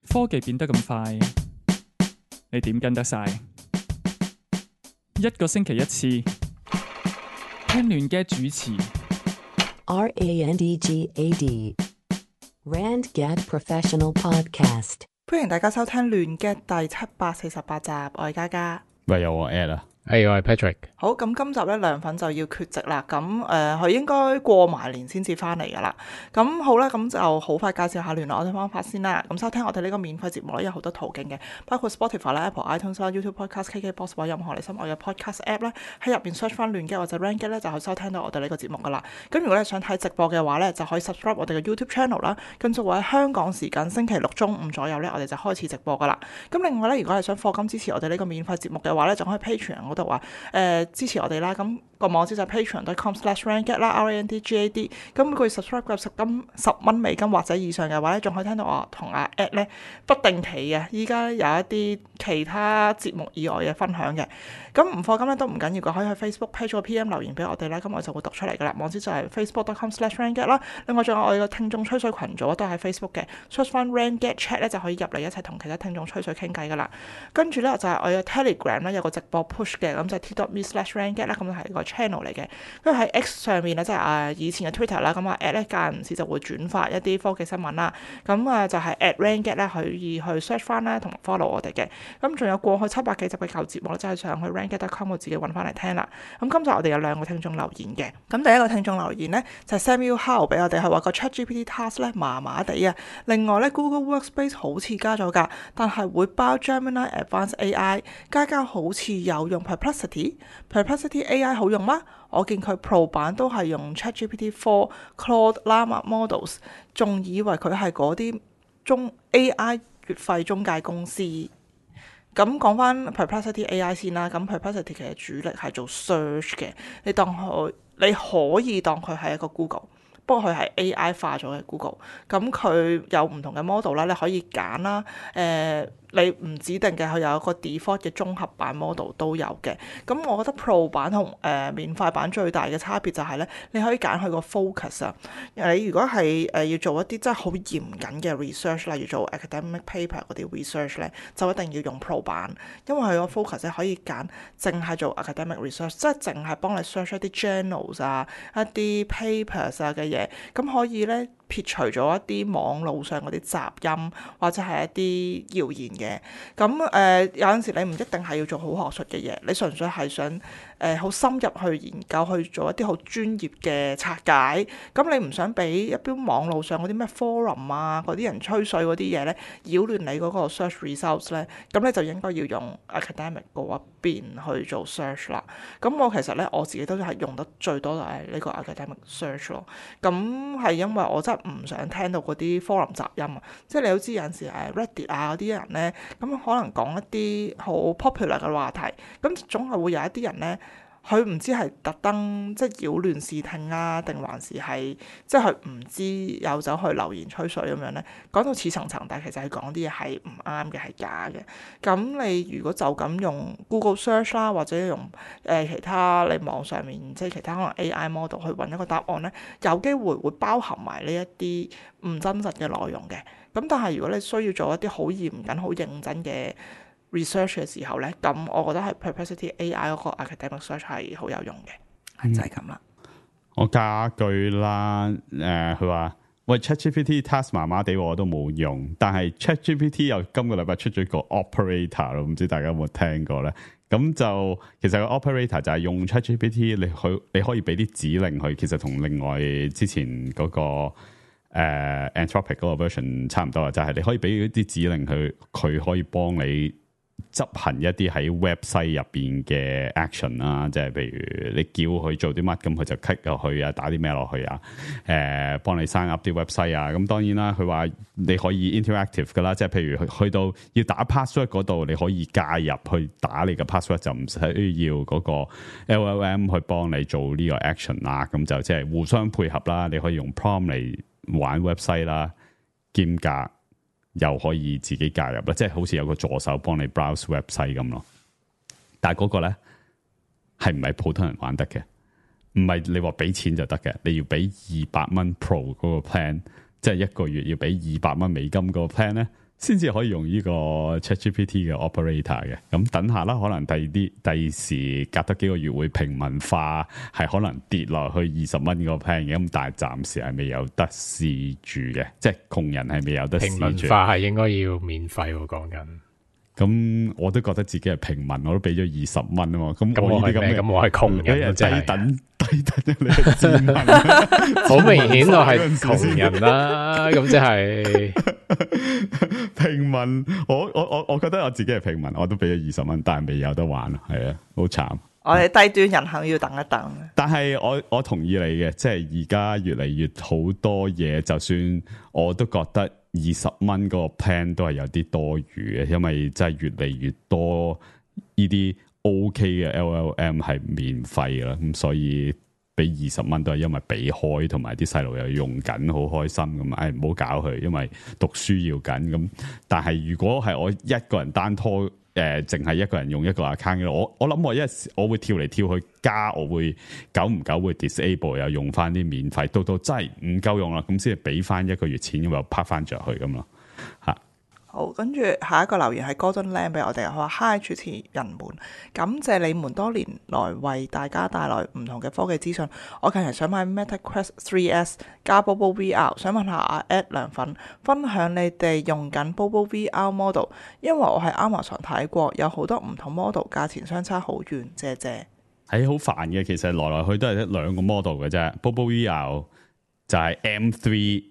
科技變得咁快，你點跟得晒？一個星期一次，聽亂嘅主持。RANDGAD RandGad Professional Podcast。歡迎大家收聽亂嘅第748集，我係嘉嘉。喂，有我 at 啦，我係 Patrick。好，咁今集咧涼粉就要缺席啦。咁佢應該過埋年先至翻嚟噶啦。咁好啦，咁就好快介紹下聯絡我哋方法先啦。咁收聽我哋呢個免費節目咧，有好多途徑嘅，包括 Spotify 啦、Apple iTunes 啦、YouTube Podcast、KKBox 或任何你心愛嘅 Podcast App 咧，喺入邊 search 翻亂嘅或者 RandGad 咧，就可以收聽到我哋呢個節目噶啦。咁如果你想睇直播嘅話咧，就可以 subscribe 我哋嘅 YouTube channel 啦。跟住會喺香港時間星期六中午左右咧，我哋就開始直播噶啦。咁另外咧，如果係想課金支持我哋呢個免費節目嘅話咧，就可以 Patreon 嗰度話支持我哋啦。咁個網址就係 patreon.com/randgad 啦 ，RANDGAD。咁每個月 subscribe 夠10蚊美金或者以上嘅話咧，仲可以聽到我同阿 Ed 咧不定期嘅，依家有一啲其他節目以外嘅分享嘅。咁唔課金咧都唔緊要嘅，可以去 Facebook page 個 PM 留言俾我哋啦，咁我就會讀出嚟噶啦。網址就係 facebook.com/randgad 啦。另外仲有我哋嘅聽眾吹水群組都係 Facebook 嘅，search 翻 RandGad Chat 咧就可以入嚟一齊同其他聽眾吹水傾偈噶啦。跟住咧就係我嘅 Telegram 咧有個直播 push 嘅，咁就係 t.me/randgad 啦，咁就係個 channel 嚟嘅。跟住喺 X 上面咧，即係以前嘅 Twitter 啦，咁啊 at 咧間唔時就會轉發一啲科技新聞啦。咁就係 @randgad 咧可以去 search 翻啦，同埋 follow 我哋嘅。咁仲有過去700幾集嘅舊節目咧，即係上去 randgad.com 我自己揾翻嚟聽啦。咁今集我哋有2個聽眾留言嘅。咁第一個聽眾留言咧就係 Samuel Howe 俾我哋，係話個 ChatGPT Task 咧麻麻地啊。另外咧 Google Workspace 好似加咗價，但係會包 Gemini Advanced AI。嘉好似有用 Perplexity AI 好用嗎？我見佢 Pro 版都係用 ChatGPT 4 Claude Llama Models， 仲以為佢係嗰啲AI 月費中介公司。咁講翻 Perplexity AI 先啦，咁 Perplexity 其實主力係做 search 嘅，你可以當佢係一個 Google， 不過佢係 AI 化咗嘅 Google。咁佢有唔同嘅 model 啦，你可以揀啦，你唔指定嘅，佢有一個 default 嘅綜合版 model 都有嘅。咁我覺得 Pro 版同免費版最大嘅差別就係咧，你可以揀佢個 focus 啊。你如果係要做一啲真係好嚴謹嘅 research，例如做 academic paper 嗰啲 research 咧，就一定要用 Pro 版，因為佢個 focus 咧可以揀淨係做 academic research， 即係淨係幫你 search 一啲 journals 啊、一啲 papers 啊嘅嘢，咁可以咧撇除咗一啲網路上嗰啲雜音或者係一啲謠言嘅。咁有陣時你唔一定係要做好學術嘅嘢，你純粹係想好深入去研究，去做一啲好專業嘅拆解。咁你唔想俾一般網路上嗰啲咩 forum 啊嗰啲人吹水嗰啲嘢咧擾亂你嗰個 search results 咧，咁你就應該要用 academic 嗰一邊去做 search 啦。咁我其實咧我自己都係用得最多就係呢個 academic search 咯。咁係因為我真係唔想聽到嗰啲 forum 雜音啊，即係你都知有陣時Reddit 啊嗰啲人咧，咁可能講一啲好 popular 嘅話題，咁總係會有一啲人咧，佢唔知係特登即係擾亂視聽啊，定還是係即係佢唔知有走去留言吹水咁樣咧，講到似層層，但係其實係講啲嘢係唔啱嘅，係假嘅。咁你如果就咁用 Google Search 啦，或者用其他你網上面即係其他可能 AI model 去揾一個答案咧，有機會包含埋呢一啲唔真實嘅內容嘅。咁但係如果你需要做一啲好嚴謹、好認真嘅 research 嘅時候咧，咁我覺得係 Perplexity AI 嗰個 academic search 係好有用嘅，就係咁啦。我加句啦，佢話喂 ChatGPT Task 麻麻地，我都冇用，但係 ChatGPT 又今個禮拜出咗個 operator 咯，唔知大家有冇聽過咧？咁就其實個 operator 就係用 ChatGPT，你可以俾啲指令佢，其實同另外之前嗰個Anthropic 嗰個 version 差唔多啊，就係你可以俾一啲指令佢可以幫你執行一啲喺 website 入邊嘅 action 啦，即係譬如你叫佢做啲乜，咁佢就 click 落去啊，打啲咩落去啊，幫你 sign up 啲 website 啊。咁當然啦，佢話你可以 interactive 噶啦，即係譬如去到要打 password 嗰度，你可以加入去打你嘅 password， 就唔使要嗰個 LLM 去幫你做呢個 action 啦。咁就即係互相配合啦，你可以用 prompt 嚟玩 website 啦，兼夾又可以自己介入啦，即係好似有個助手幫你 browse website 咁咯。但係嗰個咧係唔係普通人玩得嘅？唔係你話俾錢就得嘅，你要俾200蚊 Pro 嗰個 plan，即係一個月要俾200蚊美金嗰個 plan 咧，先至可以用呢個 ChatGPT 嘅 operator 嘅。咁等下啦，可能第時隔得幾個月會平民化，係可能跌落去20蚊個 plan 嘅。咁但係暫時係未有得試住嘅，即係窮人係未有得試住。平民化係應該要免費喎，講緊。咁我都覺得自己係平民，我都俾咗20蚊啊嘛。咁我係咩？咁我係窮人，即係低等你係賤民，好明顯我係窮人啦。咁即係平民。我覺得我自己係平民，我都俾咗20蚊，但係未有得玩，係啊，好慘。我哋低端人口要等一等。但係我同意你嘅，即係而家越嚟越好多嘢，就算我都覺得20蚊嗰個 plan 都係有啲多餘嘅，因為真係越嚟越多呢啲 OK 嘅 LLM 係免費啦，咁所以俾20蚊都係因為俾開，同埋啲細路又用緊，好開心咁。唔好搞佢，因為讀書要緊咁。但係如果係我一個人單拖，淨係一個人用一個 account 嘅，我諗我會跳嚟跳去加，我會久唔久會 disable 又用翻啲免費，到真係唔夠用啦，咁先係俾翻1個月錢咁又拍翻着去咁咯嚇。好，跟住下一個留言係 Gordon Lam 俾我哋，佢話 Hi 主持人們，感謝你們多年來為大家帶來唔同嘅科技資訊。我近日想買 Meta Quest 3S 加 Bobo VR， 想問下阿 Ed 涼粉分享你哋用緊 Bobo VR model， 因為我喺 Amazon 睇過，有好多唔同 model， 價錢相差好遠，謝謝。係好煩嘅，其實來來去都係一兩個 model 嘅啫。Bobo VR 就係 M3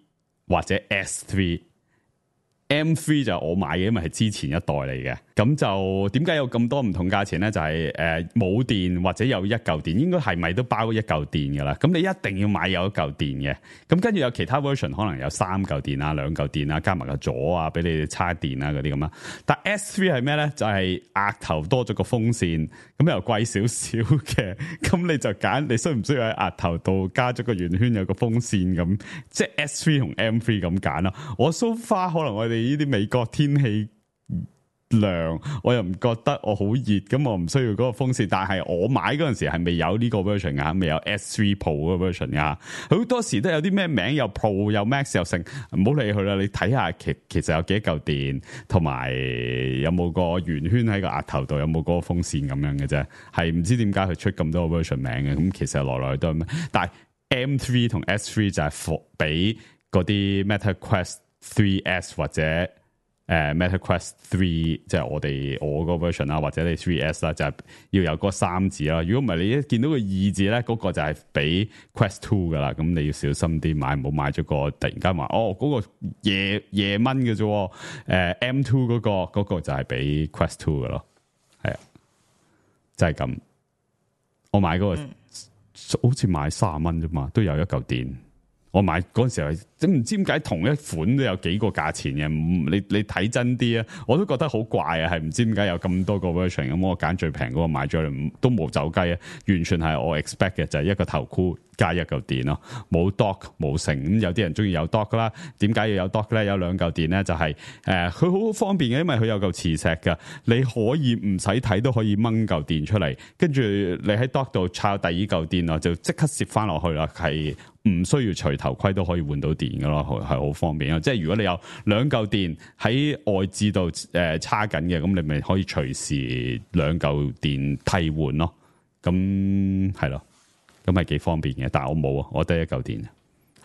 或者 S3。M3 就我買嘅，因為係之前一代嚟嘅。咁就點解有咁多唔同價錢咧？就係冇電或者有一嚿電，應該係咪都包一嚿電噶啦？咁你一定要買有一嚿電嘅。咁跟住有其他 version 可能有3嚿電啊、2嚿電啊，加埋個座啊，俾你哋叉電啊嗰啲咁啊。但 S3 係咩咧？就係額頭多咗個風扇，咁又貴少少嘅。咁你就揀你需唔需要喺額頭度加咗個圓圈有個風扇咁，即係 S3 同 M3 咁揀啦。我 so far 可能我哋呢啲美國天氣涼，我又唔覺得我好熱，咁我唔需要嗰個風扇。但係我買嗰陣時係未有呢個 version 噶，未有 S3 Pro 嗰個 version 噶。好多時都有啲咩名又 Pro 又 Max 又剩，唔好理佢啦。你睇下其實有幾嚿電，同埋有冇個圓圈喺個額頭度，有冇嗰個風扇咁樣嘅啫。係唔知點解佢出咁多個 version 名嘅。咁其實來來都係咩？但係 M3 同 S3 就係俾嗰啲 Meta Quest 3S 或者Meta Quest 3，即係我個 version 啦，或者你 3S 啦，就係要有嗰3字啦。如果唔係，你一見到個2字咧，嗰個就係俾 Quest 2噶啦。咁你要小心啲買，唔好買咗個突然間話嗰個夜蚊嘅啫。M2 嗰個就係俾 Quest 2噶咯，係啊，就係咁。我買嗰個好似買30蚊啫嘛，都有一嚿電。我買嗰陣時候，真唔知點解同一款都有幾個價錢嘅，你睇真啲啊！我都覺得好怪啊，係唔知點解有咁多個 version 咁，我揀最平嗰個買咗嚟，都冇走雞啊！完全係我 expect 嘅，就係一個頭箍加一嚿電咯，冇 dock 冇成。咁有啲人中意有 dock 啦，點解要有 dock 咧？有2嚿電咧，就係佢好方便嘅，因為佢有嚿磁石㗎，你可以唔使睇都可以掹嚿電出嚟，跟住你喺 dock 度插第二嚿電啊，就即刻攝翻落去啦，係唔需要除頭盔都可以換到電噶咯，係好方便啊！即係如果你有2嚿電喺外置度叉緊嘅，咁你咪可以隨時2嚿電替換咯。咁係咯，咁係幾方便嘅。但係我冇啊，我得1嚿電，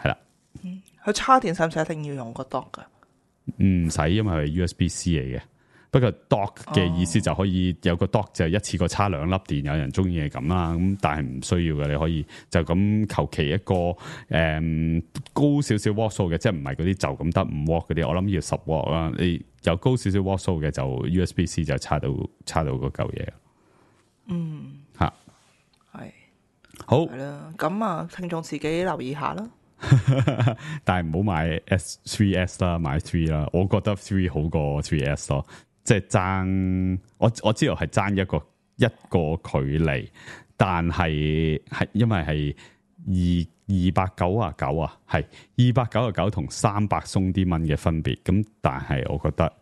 係啦。佢叉電使唔使一定要用個 dock 噶？唔使，因為係 USB-C 嚟嘅。不過 dock 嘅意思就可以有個 dock 就一次過叉2粒電，有人中意係咁啦。咁但係唔需要嘅，你可以就咁求其一個高少少 watt 數嘅，即係唔係嗰啲就咁得5 watt 嗰啲。我諗要10 watt 啦。你有高少少 watt 數嘅就 USB-C 就叉到嗰嚿嘢。吓係好係啦。咁啊，聽眾自己留意下啦。但係唔好買 S3S 啦，買3啦。我覺得3好過 3S 咯。即係爭，我知道係爭一個距離，但係因為係299啊，係299同300鬆啲蚊嘅分別，咁但係我覺得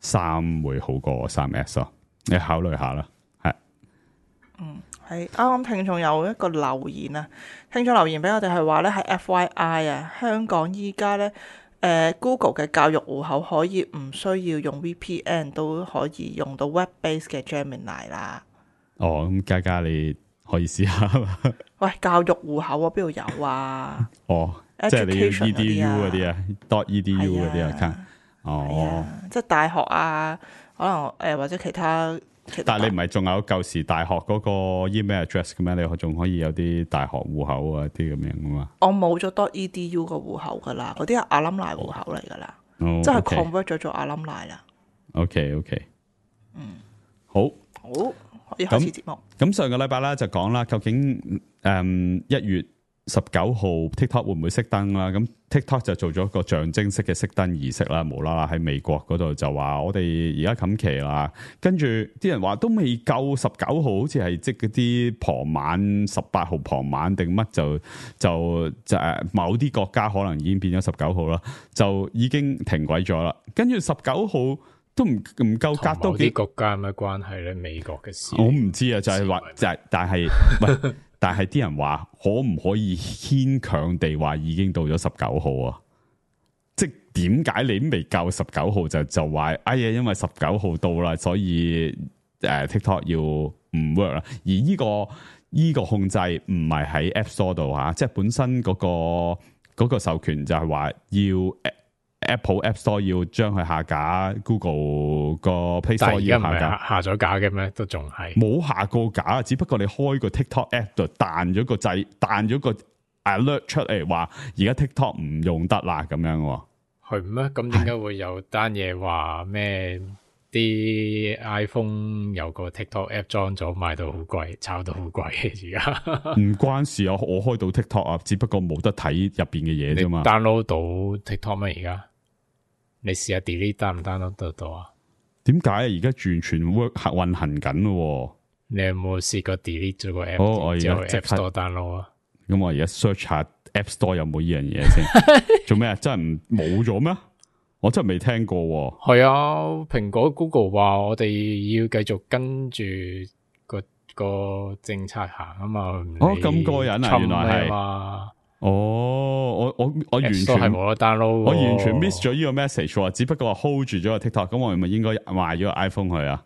3會好過 3S 咯，你考慮下啦，係。係啱啱聽眾有一個留言啊，聽眾留言俾我哋係話咧係 FYI 啊，香港依家咧 Google 嘅教育戶口可以唔需要用 VPN 都可以用到 web base 嘅 Gemini 啦。哦，咁嘉嘉你可以試下嘛？喂，教育戶口啊，邊度有啊？哦，即係你要 Education edu 嗰啲啊，.edu 嗰啲係 account。係哦，啊，即係大學啊，可能或者其他。但係你唔係仲有舊時大學嗰個 email address 嘅咩？你仲可以有啲大學戶口啊啲咁樣噶嘛？我冇咗 .edu 個戶口噶啦，嗰啲係 alumni 戶口嚟噶啦，哦即係 OK convert 咗做 alumni 啦。OK，好。好，可以開始節目。咁上個禮拜啦就講啦，究竟1月19號 TikTok 會唔會熄燈啦？咁 TikTok 就做咗個象徵式嘅熄燈儀式啦，無啦啦喺美國嗰度就話我哋而家冚期啦，跟住啲人話都未夠19號，好似係即嗰啲傍晚18號傍晚定乜就某啲國家可能已經變咗19號啦，就已經停軌咗啦。跟住19號都唔夠隔多幾啲國家有咩關係咧？美國嘅事我唔知啊，就係話就係，但係喂。但係啲人話可唔可以牽強地話已經到咗19號啊？即係點解你未夠19號就話哎呀，因為19號到啦，所以TikTok 要唔 work 啦。而呢個控制唔係喺 App Store 度吓，即係本身嗰個授權就係話要Apple App Store 要將佢下架 ，Google 個 Play Store 要下架，下咗架嘅咩？都仲係冇下過架，只不過你開個 TikTok App 度彈咗個掣，彈咗個 alert 出嚟，話而家 TikTok 唔用得啦咁樣。係咩？咁點解會有單嘢話咩？啲 iPhone 有個 TikTok App 裝咗，賣到好貴，炒到好貴嘅而家。唔關事啊，我開到 TikTok 啊，只不過冇得睇入邊嘅嘢啫嘛。download 到 TikTok 咩？而家？你試下 delete down 唔 download 得到啊？點解而家完全 work 運行緊咯？你有冇試過 delete 咗個 app？我而家即 App Store download 啊？咁我而家 search 下 App Store 有冇呢樣嘢先。做咩啊？真係冇咗咩？我真係未聽過。係啊，蘋果 Google 話我哋要繼續跟住個政策行啊嘛。哦，咁過癮啊！原來係。哦，我完全係冇得 download，我完全 miss 咗呢個 message 喎，只不過話 hold 住咗個 TikTok，咁我係咪應該賣咗個 iPhone 去啊？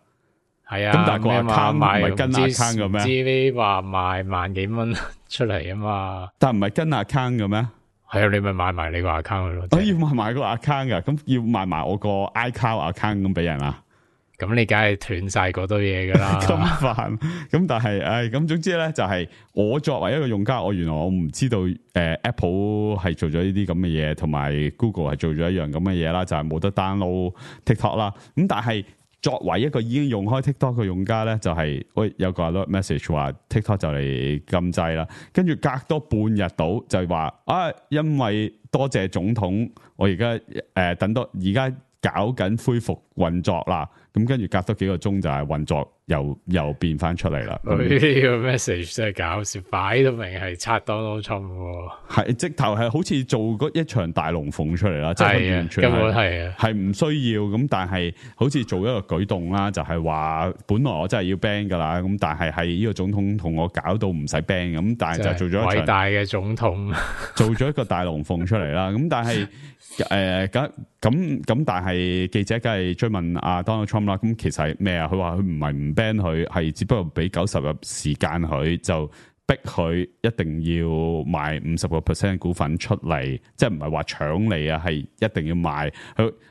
係啊，咁但係個 account 唔係跟 account 嘅咩？唔知你話賣萬幾蚊出嚟啊嘛？但唔係跟 account 嘅咩？係啊，你咪買埋你個 account 咯。我要賣埋個 account 噶，咁要賣埋我個 iCloud account 咁俾人啊？咁你梗係斷晒嗰堆嘢噶啦，咁煩。咁但係，咁總之咧就係我作為一個用家，原來我唔知道，Apple 係做咗呢啲咁嘅嘢，同埋 Google 係做咗一樣咁嘅嘢啦，就係冇得 download TikTok 啦。咁但係作為一個已經用開 TikTok 嘅用家咧，就係喂有個 alert message 話 TikTok 就嚟禁制啦，跟住隔多半日到就係話因為多謝總統，我而家等多而家搞緊恢復運作啦。咁跟住隔多幾個鐘就係運作又變翻出嚟啦。佢呢個 message 真係搞笑，擺到明係拆 Donald Trump 喎。係直頭係好似做嗰一場大龍鳳出嚟啦，即係完全根本係唔需要咁，但係好似做一個舉動啦，就係話本來我真係要 ban 噶啦，咁但係呢個總統同我搞到唔使 ban 咁，但係就做咗一場偉大嘅總統，做咗一個大龍鳳出嚟啦。咁但係咁，但係記者梗係追問阿 Donald Trump 啦。咁其實係咩啊？佢話佢唔係唔 ban 佢，係只不過俾90日時間佢，就逼佢一定要賣50% 股份出嚟，即係唔係話搶你啊？係一定要賣。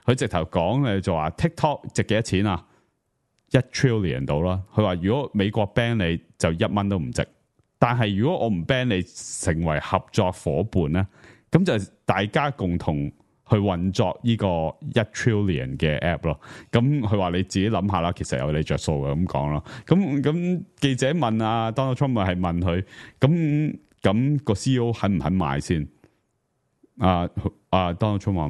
佢直頭講就話 TikTok 值幾多錢啊？1 trillion 到啦。佢話如果美國 ban 你就1蚊都唔值，但係如果我唔 ban 你，成為合作伙伴咧，咁就大家共同去運作呢個1 trillion 嘅 app 咯，咁佢話你自己諗下啦，其實有你着數嘅咁講咯。咁記者問啊 Donald Trump 係問佢，咁個 CEO 肯唔肯賣先？Donald Trump 話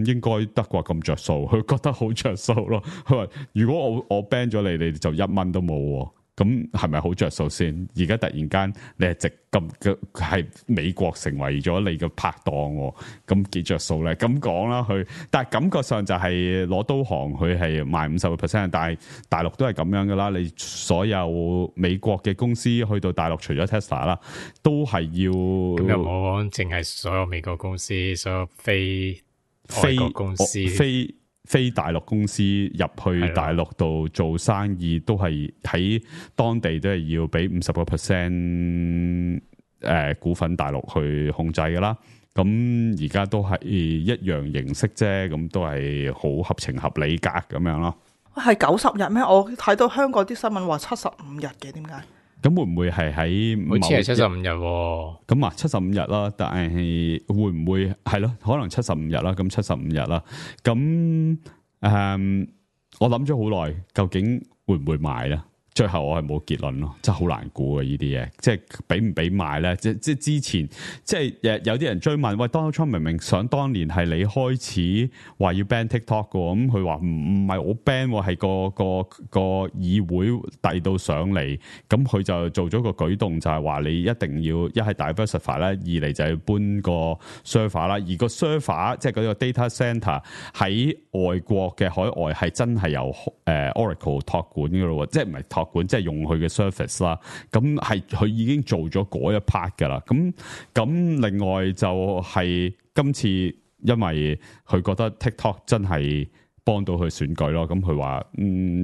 應該得啩咁着數，佢覺得好着數咯。佢話如果我 ban 咗你，你就1蚊都冇喎。咁係咪好着數先？而家突然間你係值咁嘅，係美國成為咗你嘅拍檔，咁幾着數咧？咁講啦，佢但係感覺上就係攞刀行，佢係賣50%，但係大陸都係咁樣噶啦。你所有美國嘅公司去到大陸，除咗 Tesla 啦，都係要咁又冇講淨係所有美國公司，所有非外國公司非大陸公司入去大陸度做生意，都係喺當地都係要俾50%股份大陸去控制噶啦。咁而家都係一樣形式啫，咁都係好合情合理格咁樣咯。係90日咩？我睇到香港啲新聞話75日嘅，點解？咁會唔會係喺？好似係75日喎。咁啊，75日啦，但係會唔會係咯？可能75日啦，咁75日啦。咁我諗咗好耐，究竟會唔會賣咧？最後我係冇結論咯，真係好難估啊！呢啲嘢，即係俾唔俾賣咧？即係之前，即係有啲人追問，喂 Donald Trump 明明想當年係你開始話要 ban TikTok 嘅，咁佢話唔係我 ban，係個議會遞到上嚟，咁佢就做咗個舉動，就係話你一定要一係 diversify 啦，二嚟就係搬個 server 啦，而個 server 即係嗰個 data center 喺外國嘅海外係真係由Oracle 託管嘅咯，即係唔係託管，即係用佢嘅 service 啦。咁係佢已經做咗嗰一 part 噶啦。咁另外就係今次因為佢覺得 TikTok 真係幫到佢選舉咯，咁佢話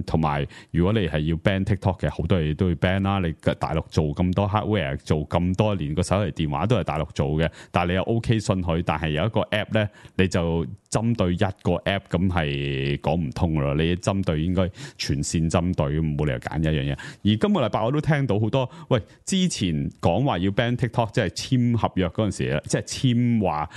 同埋如果你係要 ban TikTok 嘅，好多嘢都要 ban 啦。你大陸做咁多 hardware， 做咁多年，個手提電話都係大陸做嘅，但係你又 OK 信佢，但係有一個 app 咧，你就針對一個 app， 咁係講唔通咯。你針對應該全線針對，冇理由揀一樣嘢。而今個禮拜我都聽到好多，喂，之前講話要 ban TikTok， 即係簽合約嗰陣時，即係簽話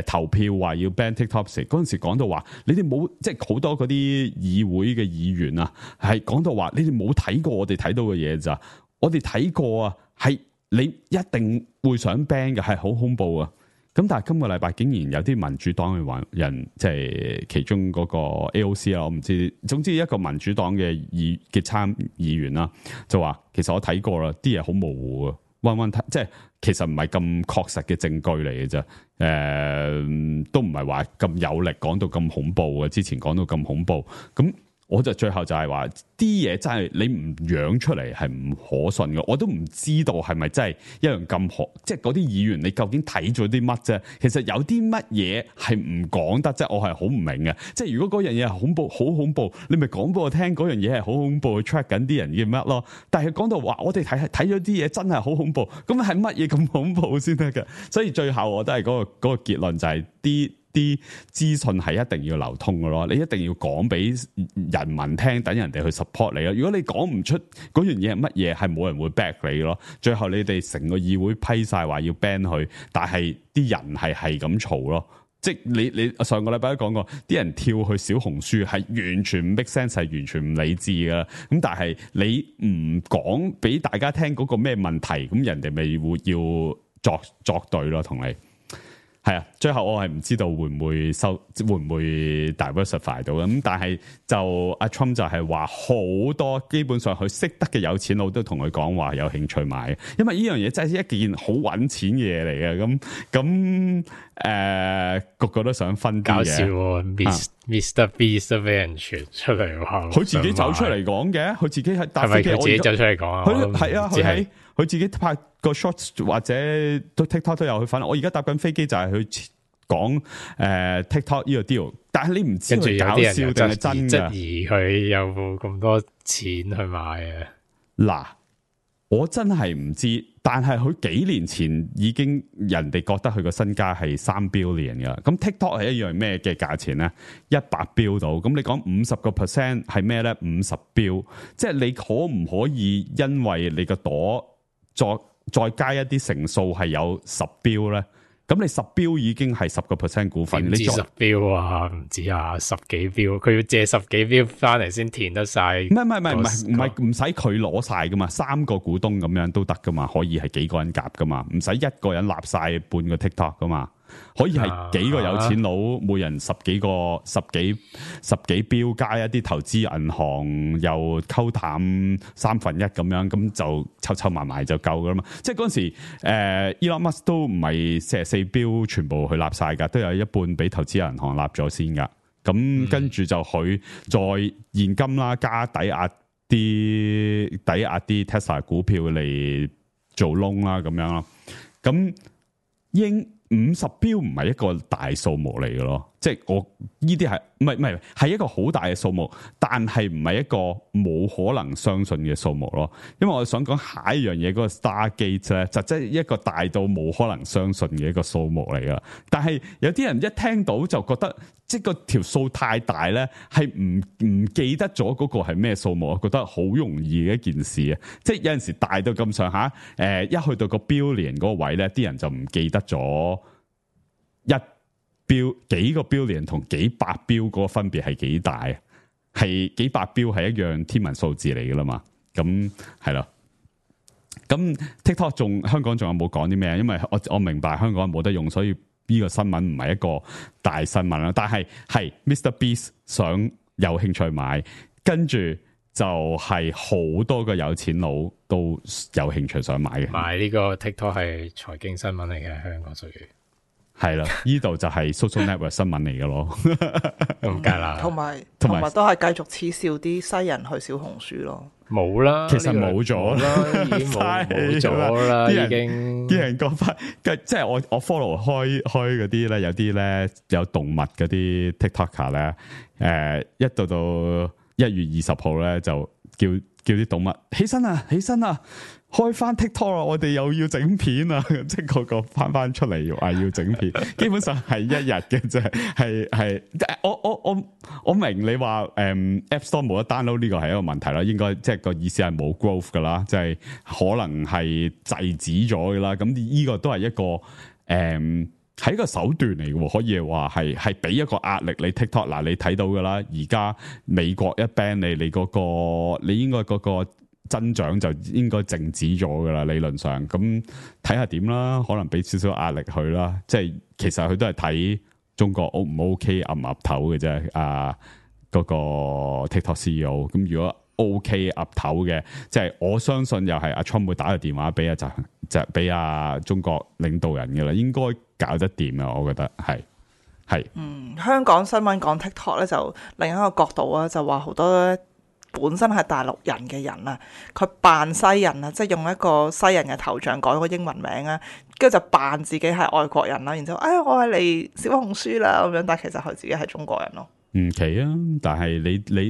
投票話要 ban TikTok 時，嗰陣時講到話你哋冇，即係好多嗰啲議會嘅議員啊，係講到話你哋冇睇過我哋睇到嘅嘢咋，我哋睇過啊，係你一定會想 ban 嘅，係好恐怖啊！咁但係今個禮拜竟然有啲民主黨嘅人，即係其中嗰個 AOC 啦，我唔知，總之一個民主黨嘅參議員啦，就話其實我睇過啦，啲嘢好模糊啊，即係其實唔係咁確實嘅證據嚟嘅啫，都唔係話咁有力講到咁恐怖嘅，之前講到咁恐怖咁。我就最後就係話啲嘢真係你唔養出嚟係唔可信嘅，我都唔知道係咪真係一樣咁可，即係嗰啲議員你究竟睇咗啲乜啫？其實有啲乜嘢係唔講得啫，我係好唔明嘅。即係如果嗰樣嘢係恐怖，好恐怖，你咪講俾我聽嗰樣嘢係好恐怖，去 track 緊啲人嘅乜咯？但係講到話我哋睇咗啲嘢真係好恐怖，咁係乜嘢咁恐怖先得㗎？所以最後我都係嗰個結論就係啲資訊係一定要流通嘅咯，你一定要講俾人民聽，等人哋去 support 你咯。如果你講唔出嗰樣嘢係乜嘢，係冇人會 back 你咯。最後你哋成個議會批晒話要 ban 佢，但係啲人係咁嘈咯。即係你上個禮拜都講過，啲人跳去小紅書係完全唔 make sense，係完全唔理智噶。咁但係你唔講俾大家聽嗰個咩問題，咁人哋咪會要作對咯，同你。係啊，最後我係唔知道會唔會 diversify 到咁，但係就阿 Trump 就係話好多基本上佢識得嘅有錢佬都同佢講話有興趣買，因為呢樣嘢真係一件好揾錢嘅嘢嚟嘅。咁個個都想分啲嘅。搞笑喎，Mr. Beast 都俾人傳出嚟話，佢自己走出嚟講嘅，佢自己係搭飛機，係咪佢自己走出嚟講啊？佢係啊，佢自己拍個 shorts 或者都 TikTok 都有去分。我而家搭緊飛機就係去講TikTok 呢個 deal， 但係你唔知佢搞笑定係真嘅。質疑佢有冇咁多錢去買啊？嗱，我真係唔知，但係佢幾年前已經人哋覺得佢個身家係3 billion 噶。咁 TikTok 係一樣咩嘅價錢咧？100 billion 到。咁你講50% 係咩咧？50 billion，即係你可唔可以因為你個朵再加一啲成數係有10 billion 咧？咁你10 billion已經係10% 股份，你10 billion啊，唔止啊，10幾 billion，佢要借10幾 billion 翻嚟先填得晒。唔係唔使佢攞晒噶嘛，3個股東咁樣都得噶嘛，可以係幾個人夾噶嘛，唔使一個人立晒半個 TikTok 噶嘛。可以係幾個有錢佬，每人十幾 billion 加一啲投資銀行又溝淡1/3咁樣，咁就湊埋就夠噶啦嘛。即係嗰陣時，Elon Musk 都唔係44 billion全部去立晒噶，都有一半俾投資銀行立咗先噶。咁跟住就佢再現金啦，加抵押啲 Tesla 股票嚟做窿啦，咁樣咯。咁50 billion 唔係一個大數目嚟嘅咯，即係我呢啲係唔係係一個好大嘅數目，但係唔係一個冇可能相信嘅數目咯。因為我想講下一樣嘢嗰個 Stargate 咧，就即係一個大到冇可能相信嘅一個數目嚟噶。但係有啲人一聽到就覺得，即係個條數太大咧，係唔記得咗嗰個係咩數目，我覺得好容易嘅一件事啊！即係有陣時大到咁上下，一去到個 billion 嗰個位咧，啲人就唔記得咗幾個 billion 同幾百標嗰個分別係幾大？係幾百標係一樣天文數字嚟噶啦嘛？咁係咯。咁 TikTok 香港仲有冇講啲咩？因為我明白香港冇得用，所以呢個新聞唔係一個大新聞啦。但係 Mr. Beast 想有興趣買，跟住就係好多個有錢佬都有興趣想買嘅。買呢個 TikTok 係財經新聞嚟嘅，香港屬於。係啦，呢度就係 social network 新聞嚟嘅咯，唔計啦。同埋都係繼續恥笑啲西人去小紅書咯。冇啦，其實冇咗啦，已經冇咗啦，已經。啲人講翻，即係我 follow 開嗰啲咧，有啲咧有動物嗰啲 TikToker 咧，一到1月20號咧就叫啲動物起身啊，開翻 TikTok 啦，我哋又要整片啊，即係個翻出嚟話要整片，基本上係一日嘅啫，係我明你話App Store 冇得 download 呢個係一個問題啦，應該即係個意思係冇 growth 噶啦，即係可能係制止咗噶啦，咁呢個都係一個係一個手段嚟嘅，可以話係俾一個壓力你 TikTok 嗱，你睇到噶啦，而家美國一 ban 你嗰個你應該嗰個增長就應該靜止咗噶啦，理論上咁睇下點啦，可能俾少少壓力佢啦，即係其實佢都係睇中國 O 唔 OK 岌唔岌頭嘅啫，嗰個 TikTok CEO 咁如果 OK 岌頭嘅，即係我相信又係阿 Trump 會打個電話俾就俾中國領導人嘅啦，應該搞得掂啊，我覺得係。香港新聞講 TikTok 咧，就另一個角度啊，就話好多本身係大陸人嘅人啊，佢扮西人啊，即係用一個西人嘅頭像改個英文名啊，跟住就扮自己係外國人啦，然之後我係嚟小紅書啦咁樣，但係其實佢自己係中國人咯。唔奇啊，但係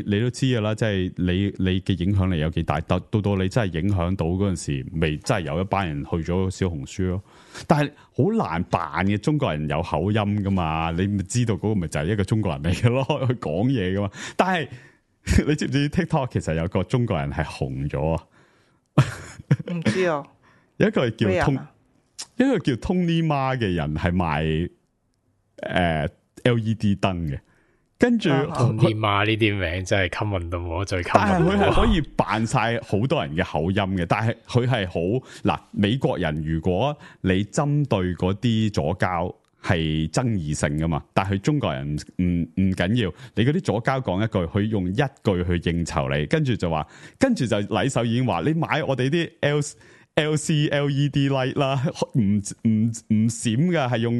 你都知噶啦，即係你嘅影響力有幾大，到你真係影響到嗰陣時，未真係有一班人去咗小紅書咯。但係好難扮嘅，中國人有口音噶嘛，你咪知道嗰個咪就係一個中國人嚟嘅咯，去講嘢噶嘛。但係你知唔知 TikTok 其實有個中國人係紅咗啊？唔知啊，有一個叫一個叫 Tony Ma 嘅人係賣LED 燈嘅。跟住Tony Ma呢啲名真係 common 到我最 common，但係佢係可以扮晒好多人嘅口音嘅，但係佢係好嗱，美國人如果你針對嗰啲左膠係爭議性噶嘛，但係中國人唔緊要，你嗰啲左膠講一句，佢用一句去應酬你，跟住就禮手已經話你買我哋啲LC LED light 啦，唔閃噶，係用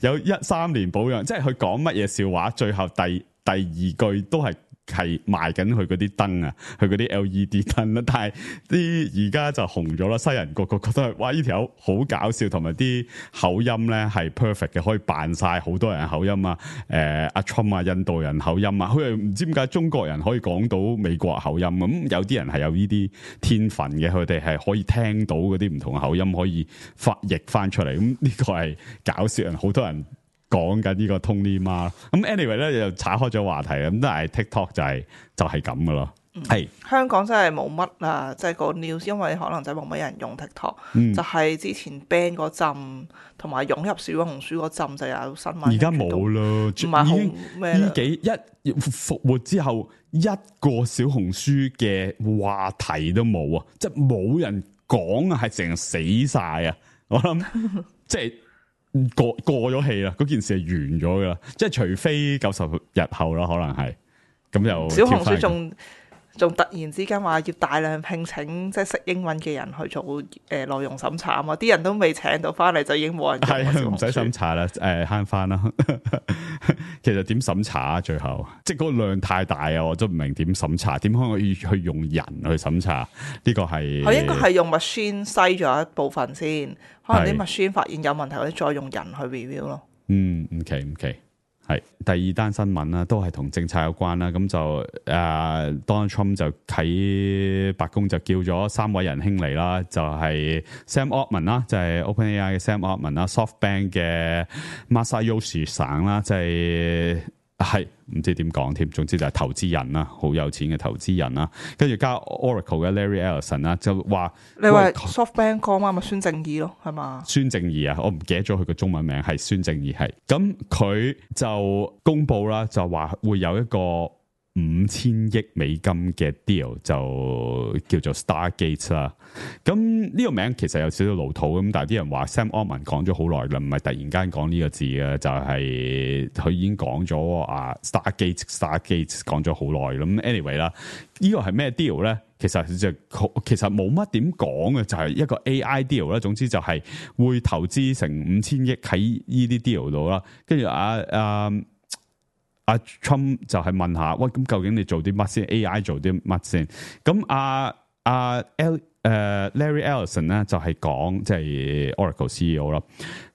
有3年保養，即係佢講乜嘢笑話，最後第二句都係賣緊佢嗰啲燈啊，佢嗰啲 LED 燈啦。但係啲而家就紅咗啦，西人個覺得哇呢條友好搞笑，同埋啲口音咧係 perfect 嘅，可以扮晒好多人口音啊，阿 Trump 啊，印度人口音啊，佢又唔知點解中國人可以講到美國口音咁，有啲人係有呢啲天分嘅，佢哋係可以聽到嗰啲唔同嘅口音，可以譯翻出嚟，咁呢個係搞笑人，好多人講緊呢個 Tony Ma， 咁 anyway 咧又岔開咗話題，咁但係 TikTok 就係咁噶咯。係香港真係冇乜啊，即係個 news，因為可能真係冇乜人用 TikTok，就係之前 ban 嗰陣同埋湧入小紅書嗰陣就有新聞。而家冇啦，唔係好咩啦？一復活之後，一個小紅書嘅話題都冇啊，即係冇人講啊，係成日死晒啊！我諗即係。過咗氣啦，嗰件事係完咗噶啦，即係除非90日後啦，可能係咁就小紅書仲突然之間話要大量聘請即係識英文嘅人去做內容審查啊嘛，啲人都未請到翻嚟就已經冇人係唔使審查啦，慳翻啦。其實點審查啊？最後即係嗰個量太大啊，我都唔明點審查，點可以去用人去審查？呢個係佢應該係用 machine 篩咗一部分先，可能啲 machine 發現有問題，或者再用人去 review 咯。唔奇。係第二單新聞啦，都係同政策有關啦。咁就Donald Trump 就喺白宮就叫咗3位仁兄嚟啦，就係 Sam Altman 啦，就係 OpenAI 嘅 Sam Altman 啦 ，SoftBank 嘅 Masayoshi Son 啦，即係唔知點講添，總之就係投資人啦，好有錢嘅投資人啦。跟住加 Oracle 嘅 Larry Ellison 啦，就話你話 SoftBank 講嘛，咪孫正義咯，係嘛？孫正義啊，我唔記得咗佢個中文名係孫正義係。咁佢就公布啦，就話會有一個5000億美金嘅 deal， 就叫做 Stargate 啦。咁呢個名其實有少少老土咁，但係啲人話 Sam Altman 講咗好耐啦，唔係突然間講呢個字嘅，就係佢已經講咗Stargate 講咗好耐啦。咁 anyway 啦，呢個係咩 deal 咧？其實冇乜點講嘅，就係一個 AI deal 啦。總之就係會投資成5000億喺呢啲 deal 度啦。跟住阿 Trump 就係問下，喂，咁究竟你做啲乜先 ？AI 做啲乜先？咁Larry Ellison 咧就係講，即係 Oracle CEO 啦。